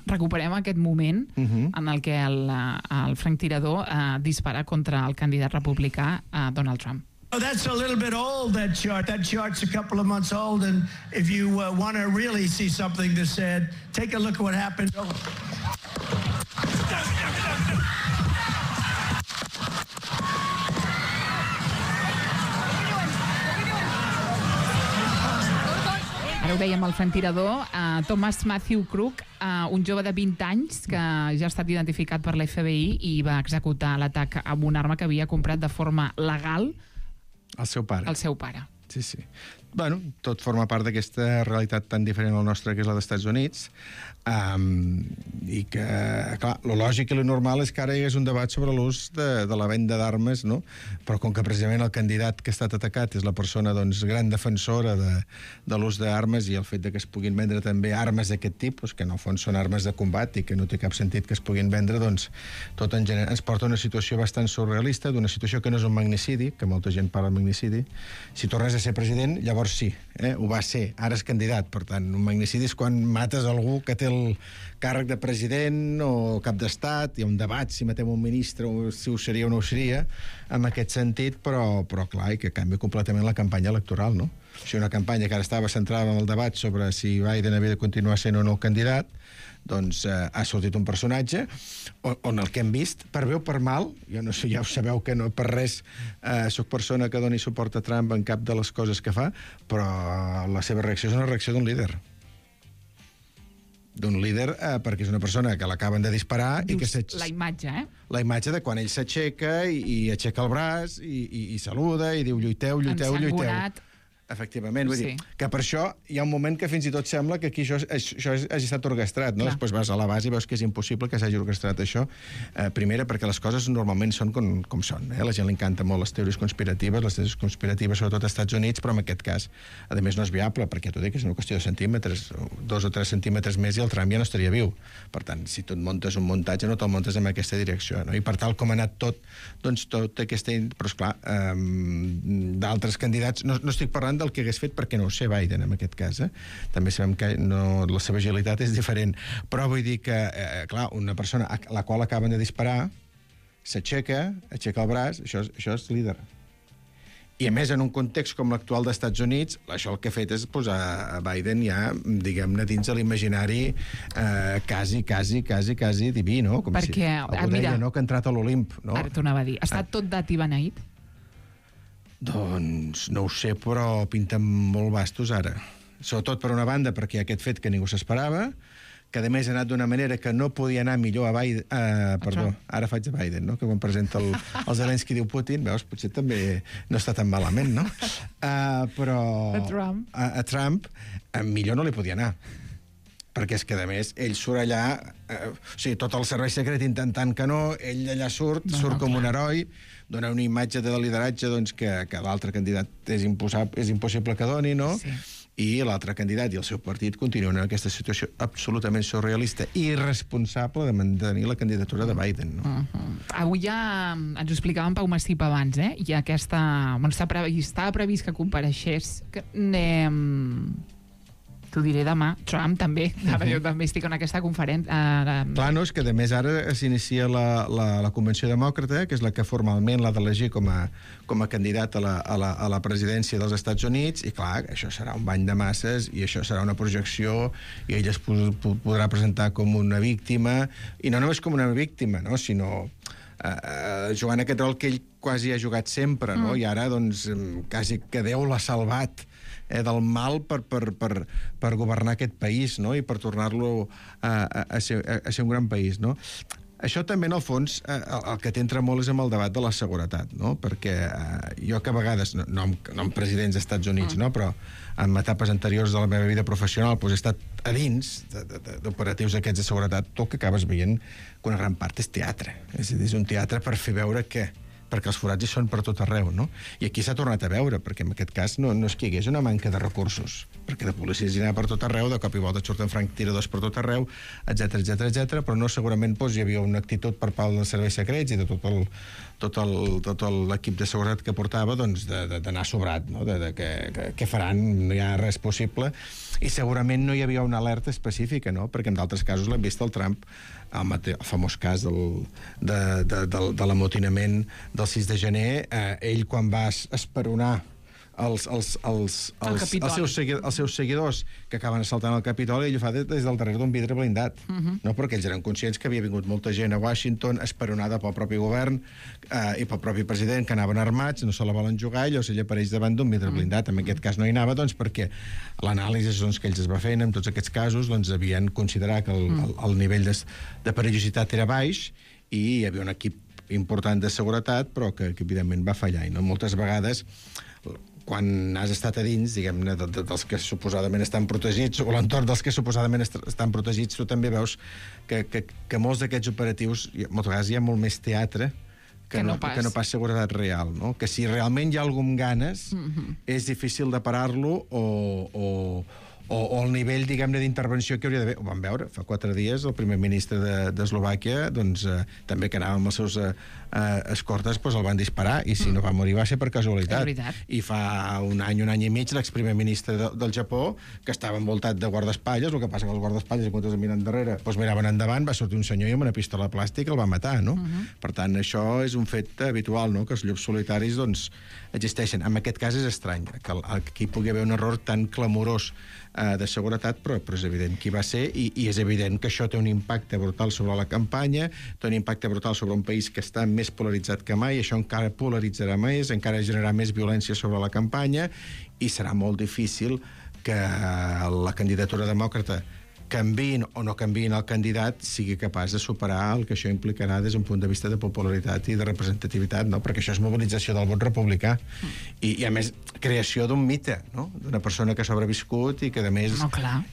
recuperem aquest moment en el que el franctirador dispara contra el candidat republicà Donald Trump. Oh, that's a little bit old, that chart. That chart's a couple of months old, and if you want to really see something that's said, take a look at what happened. Ara ho dèiem, el franctirador, Thomas Matthew Crook, un jove de 20 anys que ja ha estat identificat per l'FBI i va executar l'atac amb una arma que havia comprat de forma legal al seu pare. Al seu pare. Sí, sí. Bueno, tot forma part d'aquesta realitat tan diferent al nostre que és la dels Estats Units, i que, clar, lo lògic i lo normal és que ara hi hagués un debat sobre l'ús de la venda d'armes, no? Però com que precisament el candidat que ha estat atacat és la persona, doncs, gran defensora de l'ús d'armes i el fet de que es puguin vendre també armes d'aquest tipus, que en el fons són armes de combat i que no té cap sentit que es puguin vendre, doncs, tot en general ens porta a una situació bastant surrealista, d'una situació que no és un magnicidi, que molta gent parla de magnicidi. Si tornes a ser president, llavors sí, ho va ser, ara és candidat. Per tant, un magnicidi és quan mates algú que té el càrrec de president o cap d'estat, hi ha un debat si matem un ministre o si ho seria o no ho seria, en aquest sentit, però clar, i que canvia completament la campanya electoral, no? O sigui, una campanya que ara estava centrada en el debat sobre si Biden havia de continuar sent o no el candidat, doncs ha sortit un personatge on el que hem vist, per bé o per mal, jo no sé, ja ho sabeu que no per res soc persona que doni suport a Trump en cap de les coses que fa, però la seva reacció és una reacció d'un líder. d'un líder, perquè és una persona que l'acaben de disparar i que La imatge, la imatge de quan ell s'aixeca i aixeca el braç i saluda i diu lluiteu. Ensangonat. Efectivament, vull dir Sí. que per això hi ha un moment que fins i tot sembla que aquí això hagi estat orquestrat, no? Clar. Després vas a la base i veus que és impossible que s'hagi orquestrat això. Primera, perquè les coses normalment són com són. A la gent li encanta molt les teories conspiratives, sobretot als Estats Units, però en aquest cas, a més, no és viable, perquè t'ho dic, és una qüestió de centímetres, 2 o 3 centímetres més i el Trump ja no estaria viu. Per tant, si tu et muntes un muntatge, no te'l muntes en aquesta direcció, no? I per tal com ha anat tot, doncs tot aquesta... Però, esclar, d'altres candidats... No estic parlant del que hagués fet perquè no ho sé Biden, en aquest cas. També sabem que la seva agilitat és diferent. Però vull dir que, clar, una persona a la qual acaben de disparar s'aixeca el braç, això és líder. I, a més, en un context com l'actual dels Estats Units, això el que ha fet és posar a Biden ja, diguem-ne, dins de l'imaginari quasi diví, no? Com Perquè, si algú deia, no?, que ha entrat a l'Olimp, no? Ara t'ho anava a dir. Ha estat tot dat i beneït? Doncs no ho sé, però pinten molt bastos ara. Sobretot, per una banda, perquè hi ha aquest fet que ningú s'esperava, que a més ha anat d'una manera que no podia anar millor a Biden... Ara faig a Biden, no?, que quan presenta el Zelensky diu Putin, veus, potser també no està tan malament, no? Però... A Trump millor no li podia anar. Perquè és que, a més, ell surt allà... o sigui, tot el servei secret intentant que no, ell allà surt com un heroi, dona una imatge de lideratge doncs, que l'altre candidat és impossible que doni, no? Sí. I l'altre candidat i el seu partit continuen en aquesta situació absolutament surrealista i irresponsable de mantenir la candidatura de Biden, no? Avui ja ens ho explicava en Pau Massip abans, i aquesta... Bueno, estava previst que compareixés... T'ho diré demà. Trump també. Ara jo també estic en aquesta conferència. Clar, no, és que a més ara s'inicia la Convenció Demòcrata, que és la que formalment l'ha d'elegir com a candidat a la presidència dels Estats Units, i clar, això serà un bany de masses i això serà una projecció i ell es podrà presentar com una víctima, i no només com una víctima, no?, sinó jugant aquest rol que ell quasi ha jugat sempre, no? I ara, doncs, quasi que Déu l'ha salvat del mal per governar aquest país, no?, i per tornar-lo a ser un gran país, no? Això també, en el fons, el que t'entra molt és amb el debat de la seguretat, no? Perquè jo que a vegades, no amb presidents dels Estats Units, no?, però en etapes anteriors de la meva vida professional doncs he estat a dins d'operatius aquests de seguretat, tu que acabes veient que una gran part és teatre. És a dir, és un teatre per fer veure que perquè els forats hi són per tot arreu, no? I aquí s'ha tornat a veure, perquè en aquest cas no és que hi hagués una manca de recursos, perquè de policies hi anava per tot arreu, de cop i volta surten franctiradors per tot arreu, etc, però no, segurament hi havia una actitud per part dels serveis secrets i de tot l'equip de seguretat que portava, doncs, d'anar sobrat, no?, de què faran, no hi ha res possible, i segurament no hi havia una alerta específica, no?, perquè en d'altres casos l'hem vist el Trump, el famós cas de l'amotinament del 6 de gener, ell quan va esperonar els seus seguidors que acaben assaltant el Capitoli, ell ho fa des del darrere d'un vidre blindat, no? Perquè ells eren conscients que havia vingut molta gent a Washington esperonada pel propi govern i pel propi president, que anaven armats, no se la volen jugar, i llavors ell apareix davant d'un vidre blindat. En aquest cas no hi anava, doncs, perquè l'anàlisi que ells es va fent en tots aquests casos, doncs, havien considerat que el nivell de perillositat era baix i hi havia un equip important de seguretat, però que evidentment va fallar. I no moltes vegades, quan has estat a dins, diguem-ne, dels que suposadament estan protegits, o l'entorn dels que suposadament estan protegits, tu també veus que molts d'aquests operatius, moltes vegades hi ha molt més teatre que no pas seguretat real, no? Que si realment hi ha algú amb ganes, és difícil de parar-lo o el nivell, diguem-ne, d'intervenció que hauria d'haver. Ho vam veure fa 4 dies, el primer ministre d'Eslovàquia, doncs, també que anava amb els seus escortes, doncs el van disparar, i si no va morir va ser per casualitat. I fa un any i mig, l'exprimer ministre del Japó, que estava envoltat de guardaespatlles, el que passa que els guardaespatlles, en comptes de mirar endarrere, doncs miraven endavant, va sortir un senyor i amb una pistola plàstica el va matar, no? Per tant, això és un fet habitual, no?, que els llops solitaris, doncs, existeixen. En aquest cas és estrany, que aquí pugui haver un error tan clamorós de seguretat, però és evident qui va ser, i és evident que això té un impacte brutal sobre la campanya, té un impacte brutal sobre un país que està més polaritzat que mai, això encara polaritzarà més, encara generarà més violència sobre la campanya, i serà molt difícil que la candidatura demòcrata, canviïn o no canviïn el candidat, sigui capaç de superar el que això implicarà des d'un punt de vista de popularitat i de representativitat, no? Perquè això és mobilització del vot republicà. I a més, creació d'un mite, no? D'una persona que ha sobreviscut i que, a més,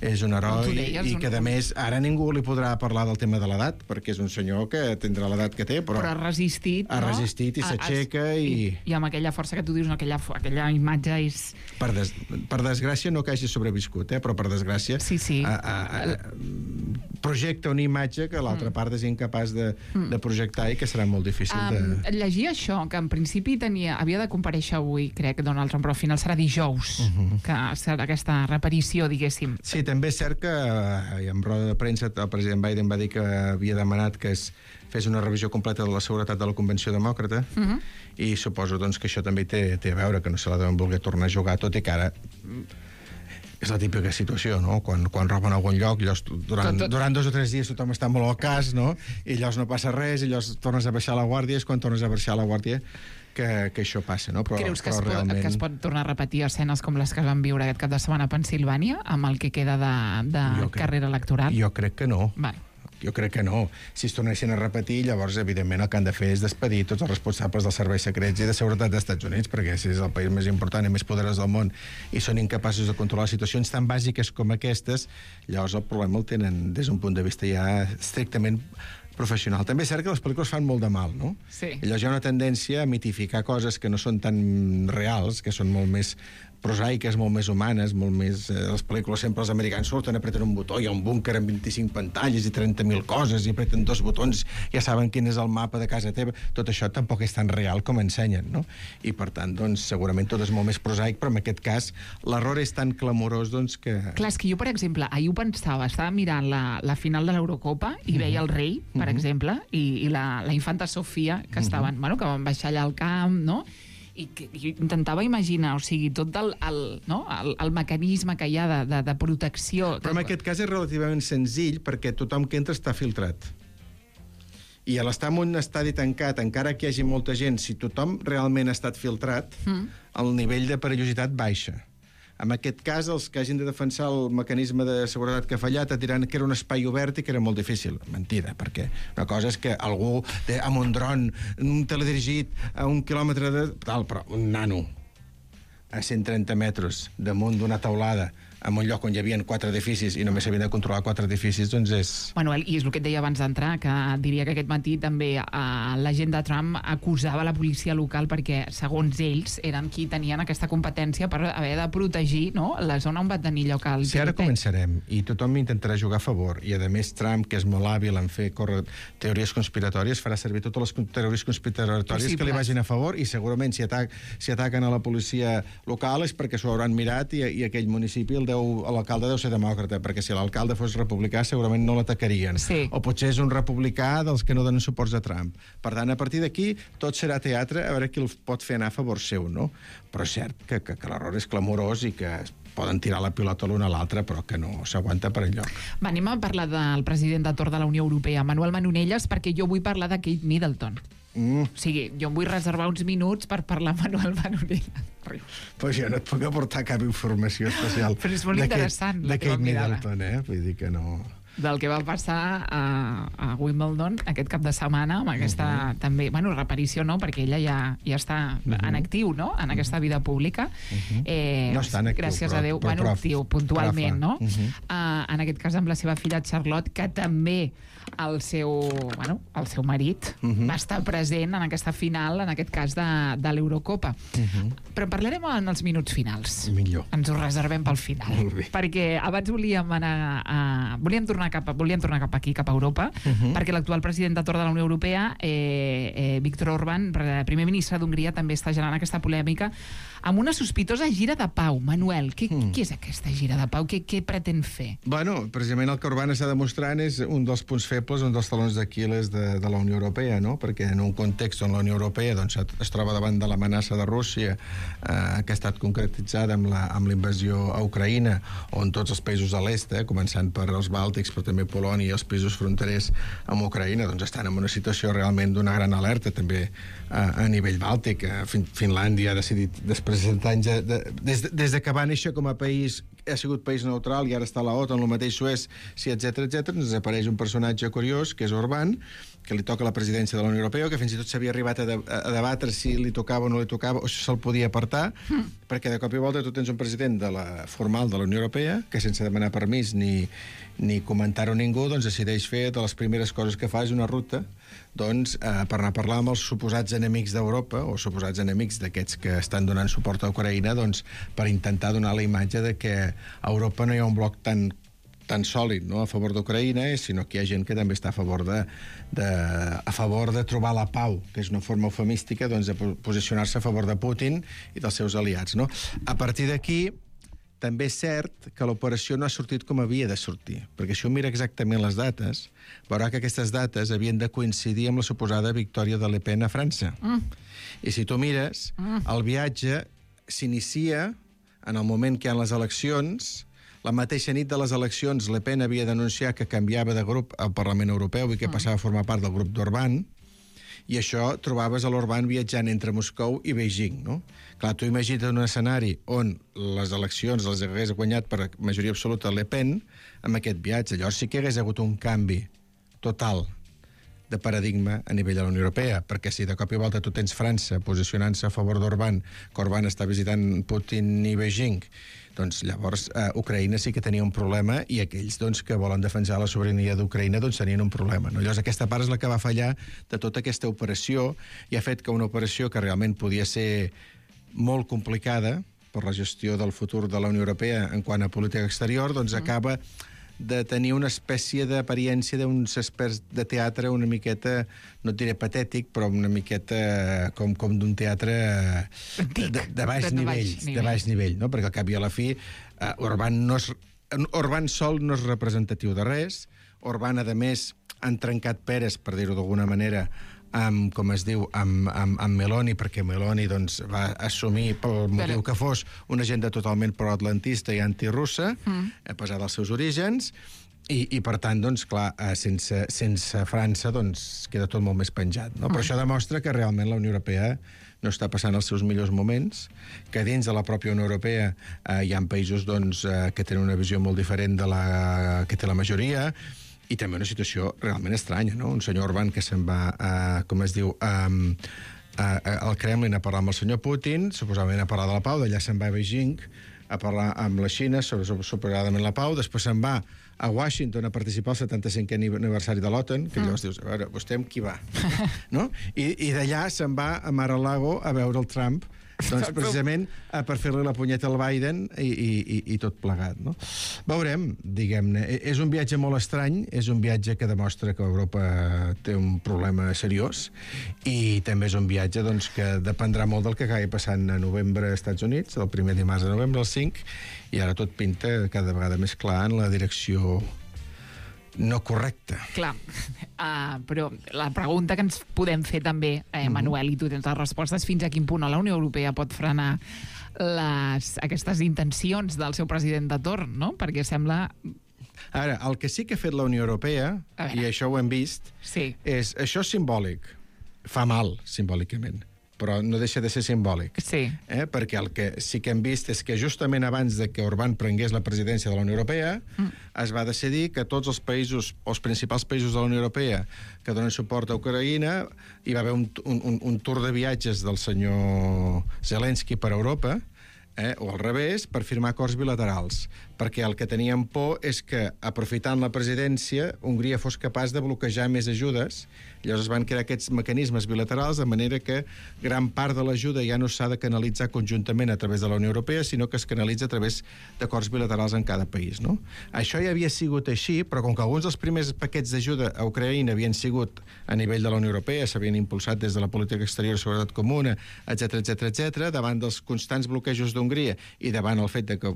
és un heroi i que, a més, ara ningú li podrà parlar del tema de l'edat, perquè és un senyor que tindrà l'edat que té, però ha resistit, ha resistit i s'aixeca i amb aquella força que tu dius, aquella imatge és... Per desgràcia, no que hagi sobreviscut, però per desgràcia projecta una imatge que l'altra part és incapaç de projectar i que serà molt difícil de... Llegia això, que en principi havia de comparèixer avui, crec, Donald Trump, però al final serà dijous, que serà aquesta reparició, diguéssim. Sí, també és cert que en roda de premsa el president Biden va dir que havia demanat que es fes una revisió completa de la seguretat de la Convenció Demòcrata i suposo doncs, que això també té a veure, que no se la deuen voler tornar a jugar, tot i que ara és la típica situació, no? Quan roben a algun lloc, durant 2 o 3 dies tothom està molt al cas, no? I llavors no passa res, i llavors tornes a baixar la guàrdia, és quan tornes a baixar la guàrdia que això passa, no? Creus que es pot tornar a repetir escenes com les que van viure aquest cap de setmana a Pensilvània, amb el que queda de carrera electoral? Jo crec que no. Vale. Jo crec que no. Si es tornessin a repetir, llavors, evidentment, el que han de fer és despedir tots els responsables dels serveis secrets i de seguretat dels Estats Units, perquè si és el país més important i més poderós del món i són incapaços de controlar situacions tan bàsiques com aquestes, llavors el problema el tenen des d'un punt de vista ja estrictament professional. També és cert que les pel·lícules fan molt de mal, no? Sí. I llavors hi ha una tendència a mitificar coses que no són tan reals, que són molt més prosaiques, molt més humanes, molt més... les pel·lícules sempre els americans surten, apreten un botó, hi ha un búnquer amb 25 pantalles i 30.000 coses, i apreten 2 botons, ja saben quin és el mapa de casa teva. Tot això tampoc és tan real com ensenyen, no? I, per tant, doncs, segurament tot és molt més prosaic, però en aquest cas l'error és tan clamorós, doncs, que... Clar, és que jo, per exemple, ahir ho pensava, estava mirant la final de l'Eurocopa i veia el rei, per exemple, i la infanta Sofia, que estaven, que van baixar allà al camp, no?, i intentava imaginar, o sigui, tot el mecanisme que hi ha de protecció. Però en aquest cas és relativament senzill perquè tothom que entra està filtrat. I a l'estar en un estadi tancat, encara que hi hagi molta gent, si tothom realment ha estat filtrat, el nivell de perillositat baixa. En aquest cas, els que hagin de defensar el mecanisme de seguretat que ha fallat et diran que era un espai obert i que era molt difícil. Mentida, perquè una cosa és que algú amb un dron, un teledirigit a 1 quilòmetre de... però un nano a 130 metres damunt d'una taulada en un lloc on hi havia 4 edificis i només s'havien de controlar 4 edificis, doncs és... Manuel, i és el que et deia abans d'entrar, que diria que aquest matí també la gent de Trump acusava la policia local perquè, segons ells, eren qui tenien aquesta competència per haver de protegir, no?, la zona on va tenir lloc el tiroteig. Si ara començarem i tothom intentarà jugar a favor i, a més, Trump, que és molt hàbil en fer córrer teories conspiratòries, farà servir totes les teories conspiratòries que li vagin a favor i segurament si ataquen a la policia local és perquè s'ho hauran mirat i aquell municipi l'alcalde deu ser demòcrata, perquè si l'alcalde fos republicà segurament no l'atacarien. Sí. O potser és un republicà dels que no donen suports a Trump. Per tant, a partir d'aquí, tot serà teatre, a veure qui el pot fer anar a favor seu, no? Però és cert que l'error és clamorós i que poden tirar la pilota l'un a l'altre, però que no s'aguanta per enlloc. Anem a parlar del president de torn de la Unió Europea, Manuel Manonelles, perquè jo vull parlar de Kate Middleton. O sigui, jo em vull reservar uns minuts per parlar amb Manuel Manonelles. Pues jo no et puc aportar cap informació especial. Però és molt interessant. De Kate Middleton, Vull dir que no... Del que va passar a Wimbledon aquest cap de setmana, amb aquesta també, reparició no, perquè ella ja està en actiu, no?, en aquesta vida pública. No està en actiu, gràcies a Déu, actiu, puntualment, no? En aquest cas amb la seva filla Charlotte, que també el seu marit va estar present en aquesta final, en aquest cas de l'Eurocopa. Però en parlarem en els minuts finals. Millor. Ens ho reservem pel final. Molt bé. Perquè abans volíem tornar cap aquí, cap a Europa, perquè l'actual president de torn de la Unió Europea, Viktor Orbán, primer ministre d'Hongria, també està generant aquesta polèmica amb una sospitosa gira de pau. Manuel, què és aquesta gira de pau? Què pretén fer? Bueno, precisament el que Orbán està demostrant és un dels punts febles, un dels talons d'Aquil·les de la Unió Europea, no? Perquè en un context on la Unió Europea es troba davant de l'amenaça de Rússia, que ha estat concretitzada amb la invasió a Ucraïna, on tots els països de l'est, començant per els Bàltics, però també Polònia i els països fronterers amb Ucraïna, doncs estan en una situació realment d'una gran alerta, també a nivell bàltic. Finlàndia ha decidit, després de 7 anys, des de que va néixer com a país, ha sigut país neutral i ara està a la OTAN, el mateix Suècia, etc etc. Ens apareix un personatge curiós, que és Orbán, que li toca la presidència de la Unió Europea, que fins i tot s'havia arribat a debatre si li tocava o no li tocava, o si se'l podia apartar, perquè de cop i volta tu tens un president formal de la Unió Europea, que sense demanar permís ni comentar-ho a ningú, doncs decideix fer de les primeres coses que fa és una ruta doncs, per anar a parlar amb els suposats enemics d'Europa, o suposats enemics d'aquests que estan donant suport a Ucraïna, doncs, per intentar donar la imatge de que a Europa no hi ha un bloc tan sòlid, no?, a favor d'Ucraïna, sinó que hi ha gent que també està a favor de trobar la pau, que és una forma eufemística, doncs, de posicionar-se a favor de Putin i dels seus aliats, no? A partir d'aquí, també és cert que l'operació no ha sortit com havia de sortir, perquè si un mira exactament les dates, veurà que aquestes dates havien de coincidir amb la suposada victòria de Le Pen a França. I si tu mires, el viatge s'inicia en el moment que hi ha les eleccions. La mateixa nit de les eleccions, Le Pen havia d'anunciar que canviava de grup al Parlament Europeu i que passava a formar part del grup d'Orbán, i això trobaves a l'Orbán viatjant entre Moscou i Beijing, no? Clar, tu imagina't un escenari on les eleccions les hagués guanyat per majoria absoluta Le Pen amb aquest viatge. Llavors sí que hagués hagut un canvi total de paradigma a nivell de la Unió Europea, perquè si de cop i volta tu tens França posicionant-se a favor d'Orbán, que Orbán està visitant Putin i Beijing, doncs llavors Ucraïna sí que tenia un problema i aquells doncs, que volen defensar la sobirania d'Ucraïna doncs, tenien un problema. No? Llavors aquesta part és la que va fallar de tota aquesta operació i ha fet que una operació que realment podia ser molt complicada per la gestió del futur de la Unió Europea en quant a política exterior, doncs acaba de tenir una espècie d'apariència d'uns experts de teatre una miqueta, no et diré patètic, però una miqueta com d'un teatre de baix nivell, no? Perquè al cap i a la fi Orbán sol no és representatiu de res. Orbán, a més, han trencat peres, per dir-ho d'alguna manera, amb Meloni, perquè Meloni doncs, va assumir, pel motiu que fos, una agenda totalment proatlantista i antirussa, a pesar dels seus orígens, i per tant, doncs, clar, sense França doncs, queda tot molt més penjat. No? Però això demostra que realment la Unió Europea no està passant els seus millors moments, que dins de la pròpia Unió Europea hi ha països doncs, que tenen una visió molt diferent de la que té la majoria, i també una situació realment estranya, no? Un senyor Orbán que se'n va, al Kremlin a parlar amb el senyor Putin, suposadament a parlar de la pau, d'allà se'n va a Beijing a parlar amb la Xina sobre suposadament la pau, després se'n va a Washington a participar al 75è aniversari de l'OTAN, que llavors dius, a veure, vostè amb qui va? No? I d'allà se'n va a Mar-a-Lago a veure el Trump, doncs precisament per fer-li la punyeta al Biden i tot plegat, no? Veurem, diguem-ne. És un viatge molt estrany, és un viatge que demostra que Europa té un problema seriós i també és un viatge doncs, que dependrà molt del que acabi passant a novembre als Estats Units, el primer dimarts de novembre, el 5, i ara tot pinta cada vegada més clar en la direcció no correcta. Clar, però la pregunta que ens podem fer també, Manuel, i tu tens les respostes, fins a quin punt la Unió Europea pot frenar aquestes intencions del seu president de torn, no? Perquè sembla... Ara, el que sí que ha fet la Unió Europea, i això ho hem vist, és això és simbòlic. Fa mal, simbòlicament, però no deixa de ser simbòlic. Sí. Perquè el que sí que hem vist és que justament abans de que Orbán prengués la presidència de la Unió Europea es va decidir que tots els països, els principals països de la Unió Europea que donen suport a Ucraïna, hi va haver un tour de viatges del senyor Zelensky per Europa, o al revés, per firmar acords bilaterals. Perquè el que teníem por és que, aprofitant la presidència, Hongria fos capaç de bloquejar més ajudes. Llavors es van crear aquests mecanismes bilaterals de manera que gran part de l'ajuda ja no s'ha de canalitzar conjuntament a través de la Unió Europea, sinó que es canalitza a través d'acords bilaterals en cada país, no? Això ja havia sigut així, però com que alguns dels primers paquets d'ajuda a Ucraïna havien sigut a nivell de la Unió Europea, s'havien impulsat des de la política exterior de seguretat comuna, etc., davant dels constants bloquejos d'Hongria i davant el fet de que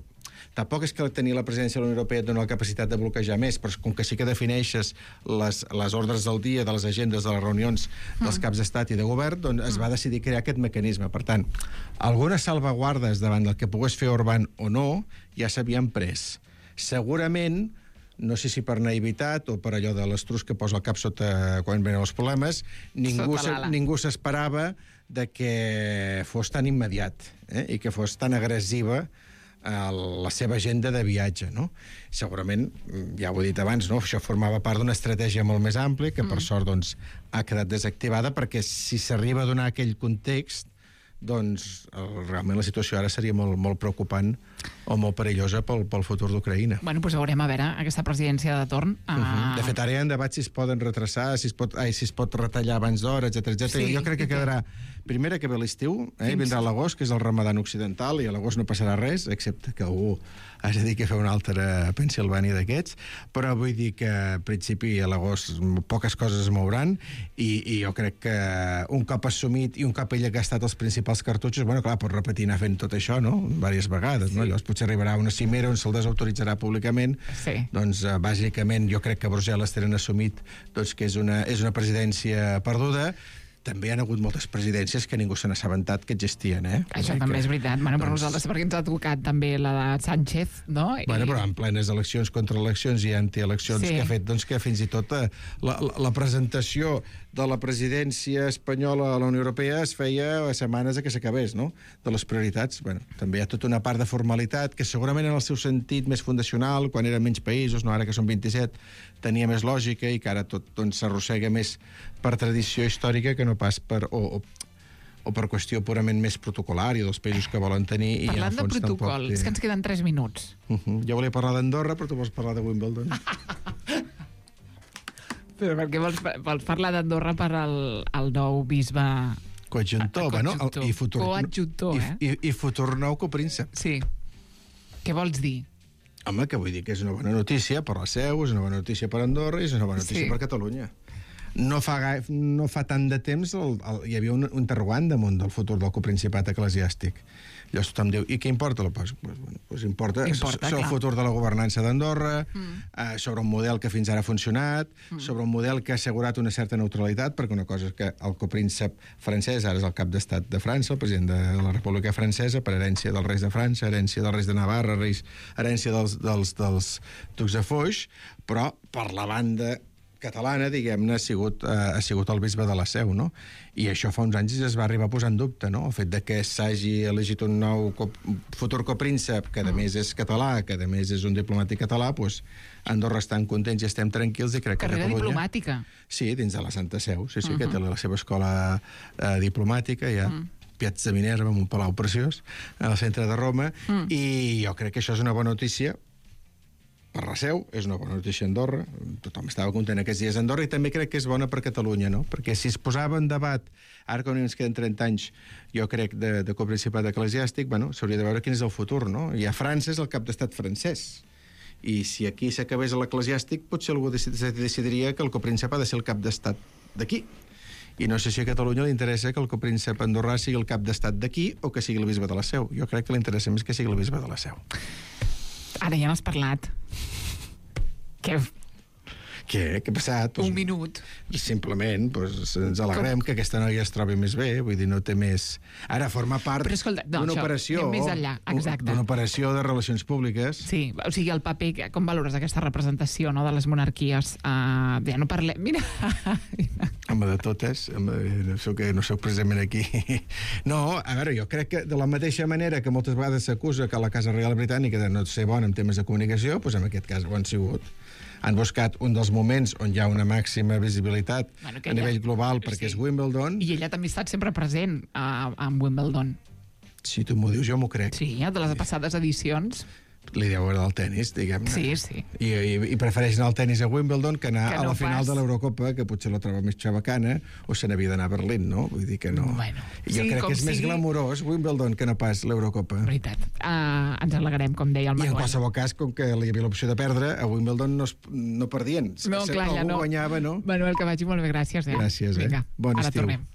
tampoc és que tenir la presidència de la Unió Europea et dona la capacitat de bloquejar més, però com que sí que defineixes les ordres del dia de les agendes de les reunions dels caps d'estat i de govern, doncs es va decidir crear aquest mecanisme. Per tant, algunes salvaguardes davant del que pogués fer Orbán o no ja s'havien pres. Segurament, no sé si per naivitat o per allò de l'estrus que posa el cap sota quan venen els problemes, ningú s'esperava de que fos tan immediat i que fos tan agressiva la seva agenda de viatge, no? Segurament, ja ho he dit abans, no? Això formava part d'una estratègia molt més àmplia que, per sort, doncs, ha quedat desactivada, perquè si s'arriba a donar aquell context, doncs realment la situació ara seria molt, molt preocupant o molt perillosa pel futur d'Ucraïna. Bueno, doncs veurem a veure aquesta presidència de torn. De fet, ara hi ha debats si es poden retrasar, si es pot retallar abans d'hora, etc. Sí, jo crec que quedarà... Primera, que ve l'estiu, vindrà l'agost, que és el Ramadan occidental, i a l'agost no passarà res, excepte que algú has de dir que fa una altra Pensilvània d'aquests, però vull dir que, en principi, a l'agost poques coses es mouran, i jo crec que un cop assumit i un cop ell ha gastat els principals cartutxos, bueno, clar, pot repetir anar fent tot això, no?, diverses vegades, no? Llavors potser arribarà a una cimera on se'l desautoritzarà públicament. Doncs, bàsicament, jo crec que Brussel·les tenen assumit doncs, que és una presidència perduda. També hi ha hagut moltes presidències que ningú se n'ha assabentat que existien, Això també és veritat. Bueno, per nosaltres, perquè ens ha tocat també la de Sánchez, no? Bueno, però en plenes eleccions, contraeleccions i antieleccions, que ha fet doncs, que fins i tot la presentació de la presidència espanyola a la Unió Europea es feia a setmanes que s'acabés, no?, de les prioritats. Bueno, també hi ha tota una part de formalitat que segurament en el seu sentit més fundacional, quan eren menys països, no ara que són 27, tenia més lògica i que ara tot s'arrossega més per tradició històrica que no pas per... o per qüestió purament més protocolària dels països que volen tenir. Parlant de protocol, és que ens queden 3 minuts. Jo volia parlar d'Andorra, però tu vols parlar de Wimbledon. Però per què vols parlar d'Andorra per al nou bisbe... Coadjuntor, bueno, i futur... Coadjuntor, I futur nou copríncep. Sí. Què vols dir? Home, que vull dir que és una bona notícia per la Seu, és una bona notícia per Andorra i és una bona notícia per Catalunya. No fa tant de temps hi havia un interrogant damunt del futur del coprincipat eclesiàstic. Llavors tothom diu, i què importa? Pues importa sobre el futur de la governança d'Andorra, sobre un model que fins ara ha funcionat, sobre un model que ha assegurat una certa neutralitat, perquè una cosa és que el copríncep francès ara és el cap d'estat de França, el president de la República Francesa, per herència dels reis de França, herència dels reis de Navarra, herència dels ducs de Foix, però per la banda catalana, diguem-ne, ha sigut el bisbe de la Seu, no? I això fa uns anys es va arribar a posar en dubte, no? El fet de que s'hagi elegit un nou futur copríncep, que a més és català, que a més és un diplomàtic català, doncs Andorra estan contents i estem tranquils i crec que Carrera Catalunya... diplomàtica. Sí, dins de la Santa Seu, sí, que té la seva escola diplomàtica, ja... Piazza Minerva, amb un palau preciós, al centre de Roma, i jo crec que això és una bona notícia per la Seu, és una bona notícia a Andorra, tothom estava content aquests dies a Andorra, i també crec que és bona per Catalunya, no? Perquè si es posava en debat, ara que ens queden 30 anys, jo crec, de coprincipat eclesiàstic, bueno, s'hauria de veure quin és el futur, no? I a França és el cap d'estat francès, i si aquí s'acabés l'eclesiàstic, potser algú decidiria que el copríncep ha de ser el cap d'estat d'aquí. I no sé si a Catalunya li interessa que el copríncep andorrà sigui el cap d'estat d'aquí o que sigui el bisbe de la Seu. Jo crec que li interessa més que sigui el bisbe de la Seu. Ara ja n'has parlat. Què Què ha passat? Un minut. Simplement, ens alegrem que aquesta noia es trobi més bé, vull dir, no té més... Ara forma part d'una operació... Més enllà, exacte. D'una operació de relacions públiques. Sí, o sigui, el paper, com valores aquesta representació, no?, de les monarquies? Ja no parlem... Mira! Home, de totes, no soc precisament aquí. No, a veure, jo crec que de la mateixa manera que moltes vegades s'acusa que la Casa Reial Britànica de no ser bona en temes de comunicació, doncs en aquest cas ho han sigut. Han buscat un dels moments on hi ha una màxima visibilitat a nivell global, perquè és Wimbledon. I ella també ha estat sempre present a Wimbledon. Si tu m'ho dius, jo m'ho crec. Sí, de les passades edicions. Li deu agradar el tennis, diguem-ne. Sí, sí. I prefereix anar al tennis a Wimbledon que anar a la final de l'Eurocopa, que potser la troba més xabacana, o se n'havia d'anar a Berlín, no? Vull dir que no. Bueno, jo crec que és més glamurós Wimbledon que no pas l'Eurocopa. Veritat. Ens alegrem, com deia el Manuel. I en qualsevol cas, com que hi havia l'opció de perdre, a Wimbledon no perdien. No, clar, ja no. Algú guanyava, no? Manuel, que vagi molt bé, gràcies. Gràcies, Vinga, bon ara estiu. tornem.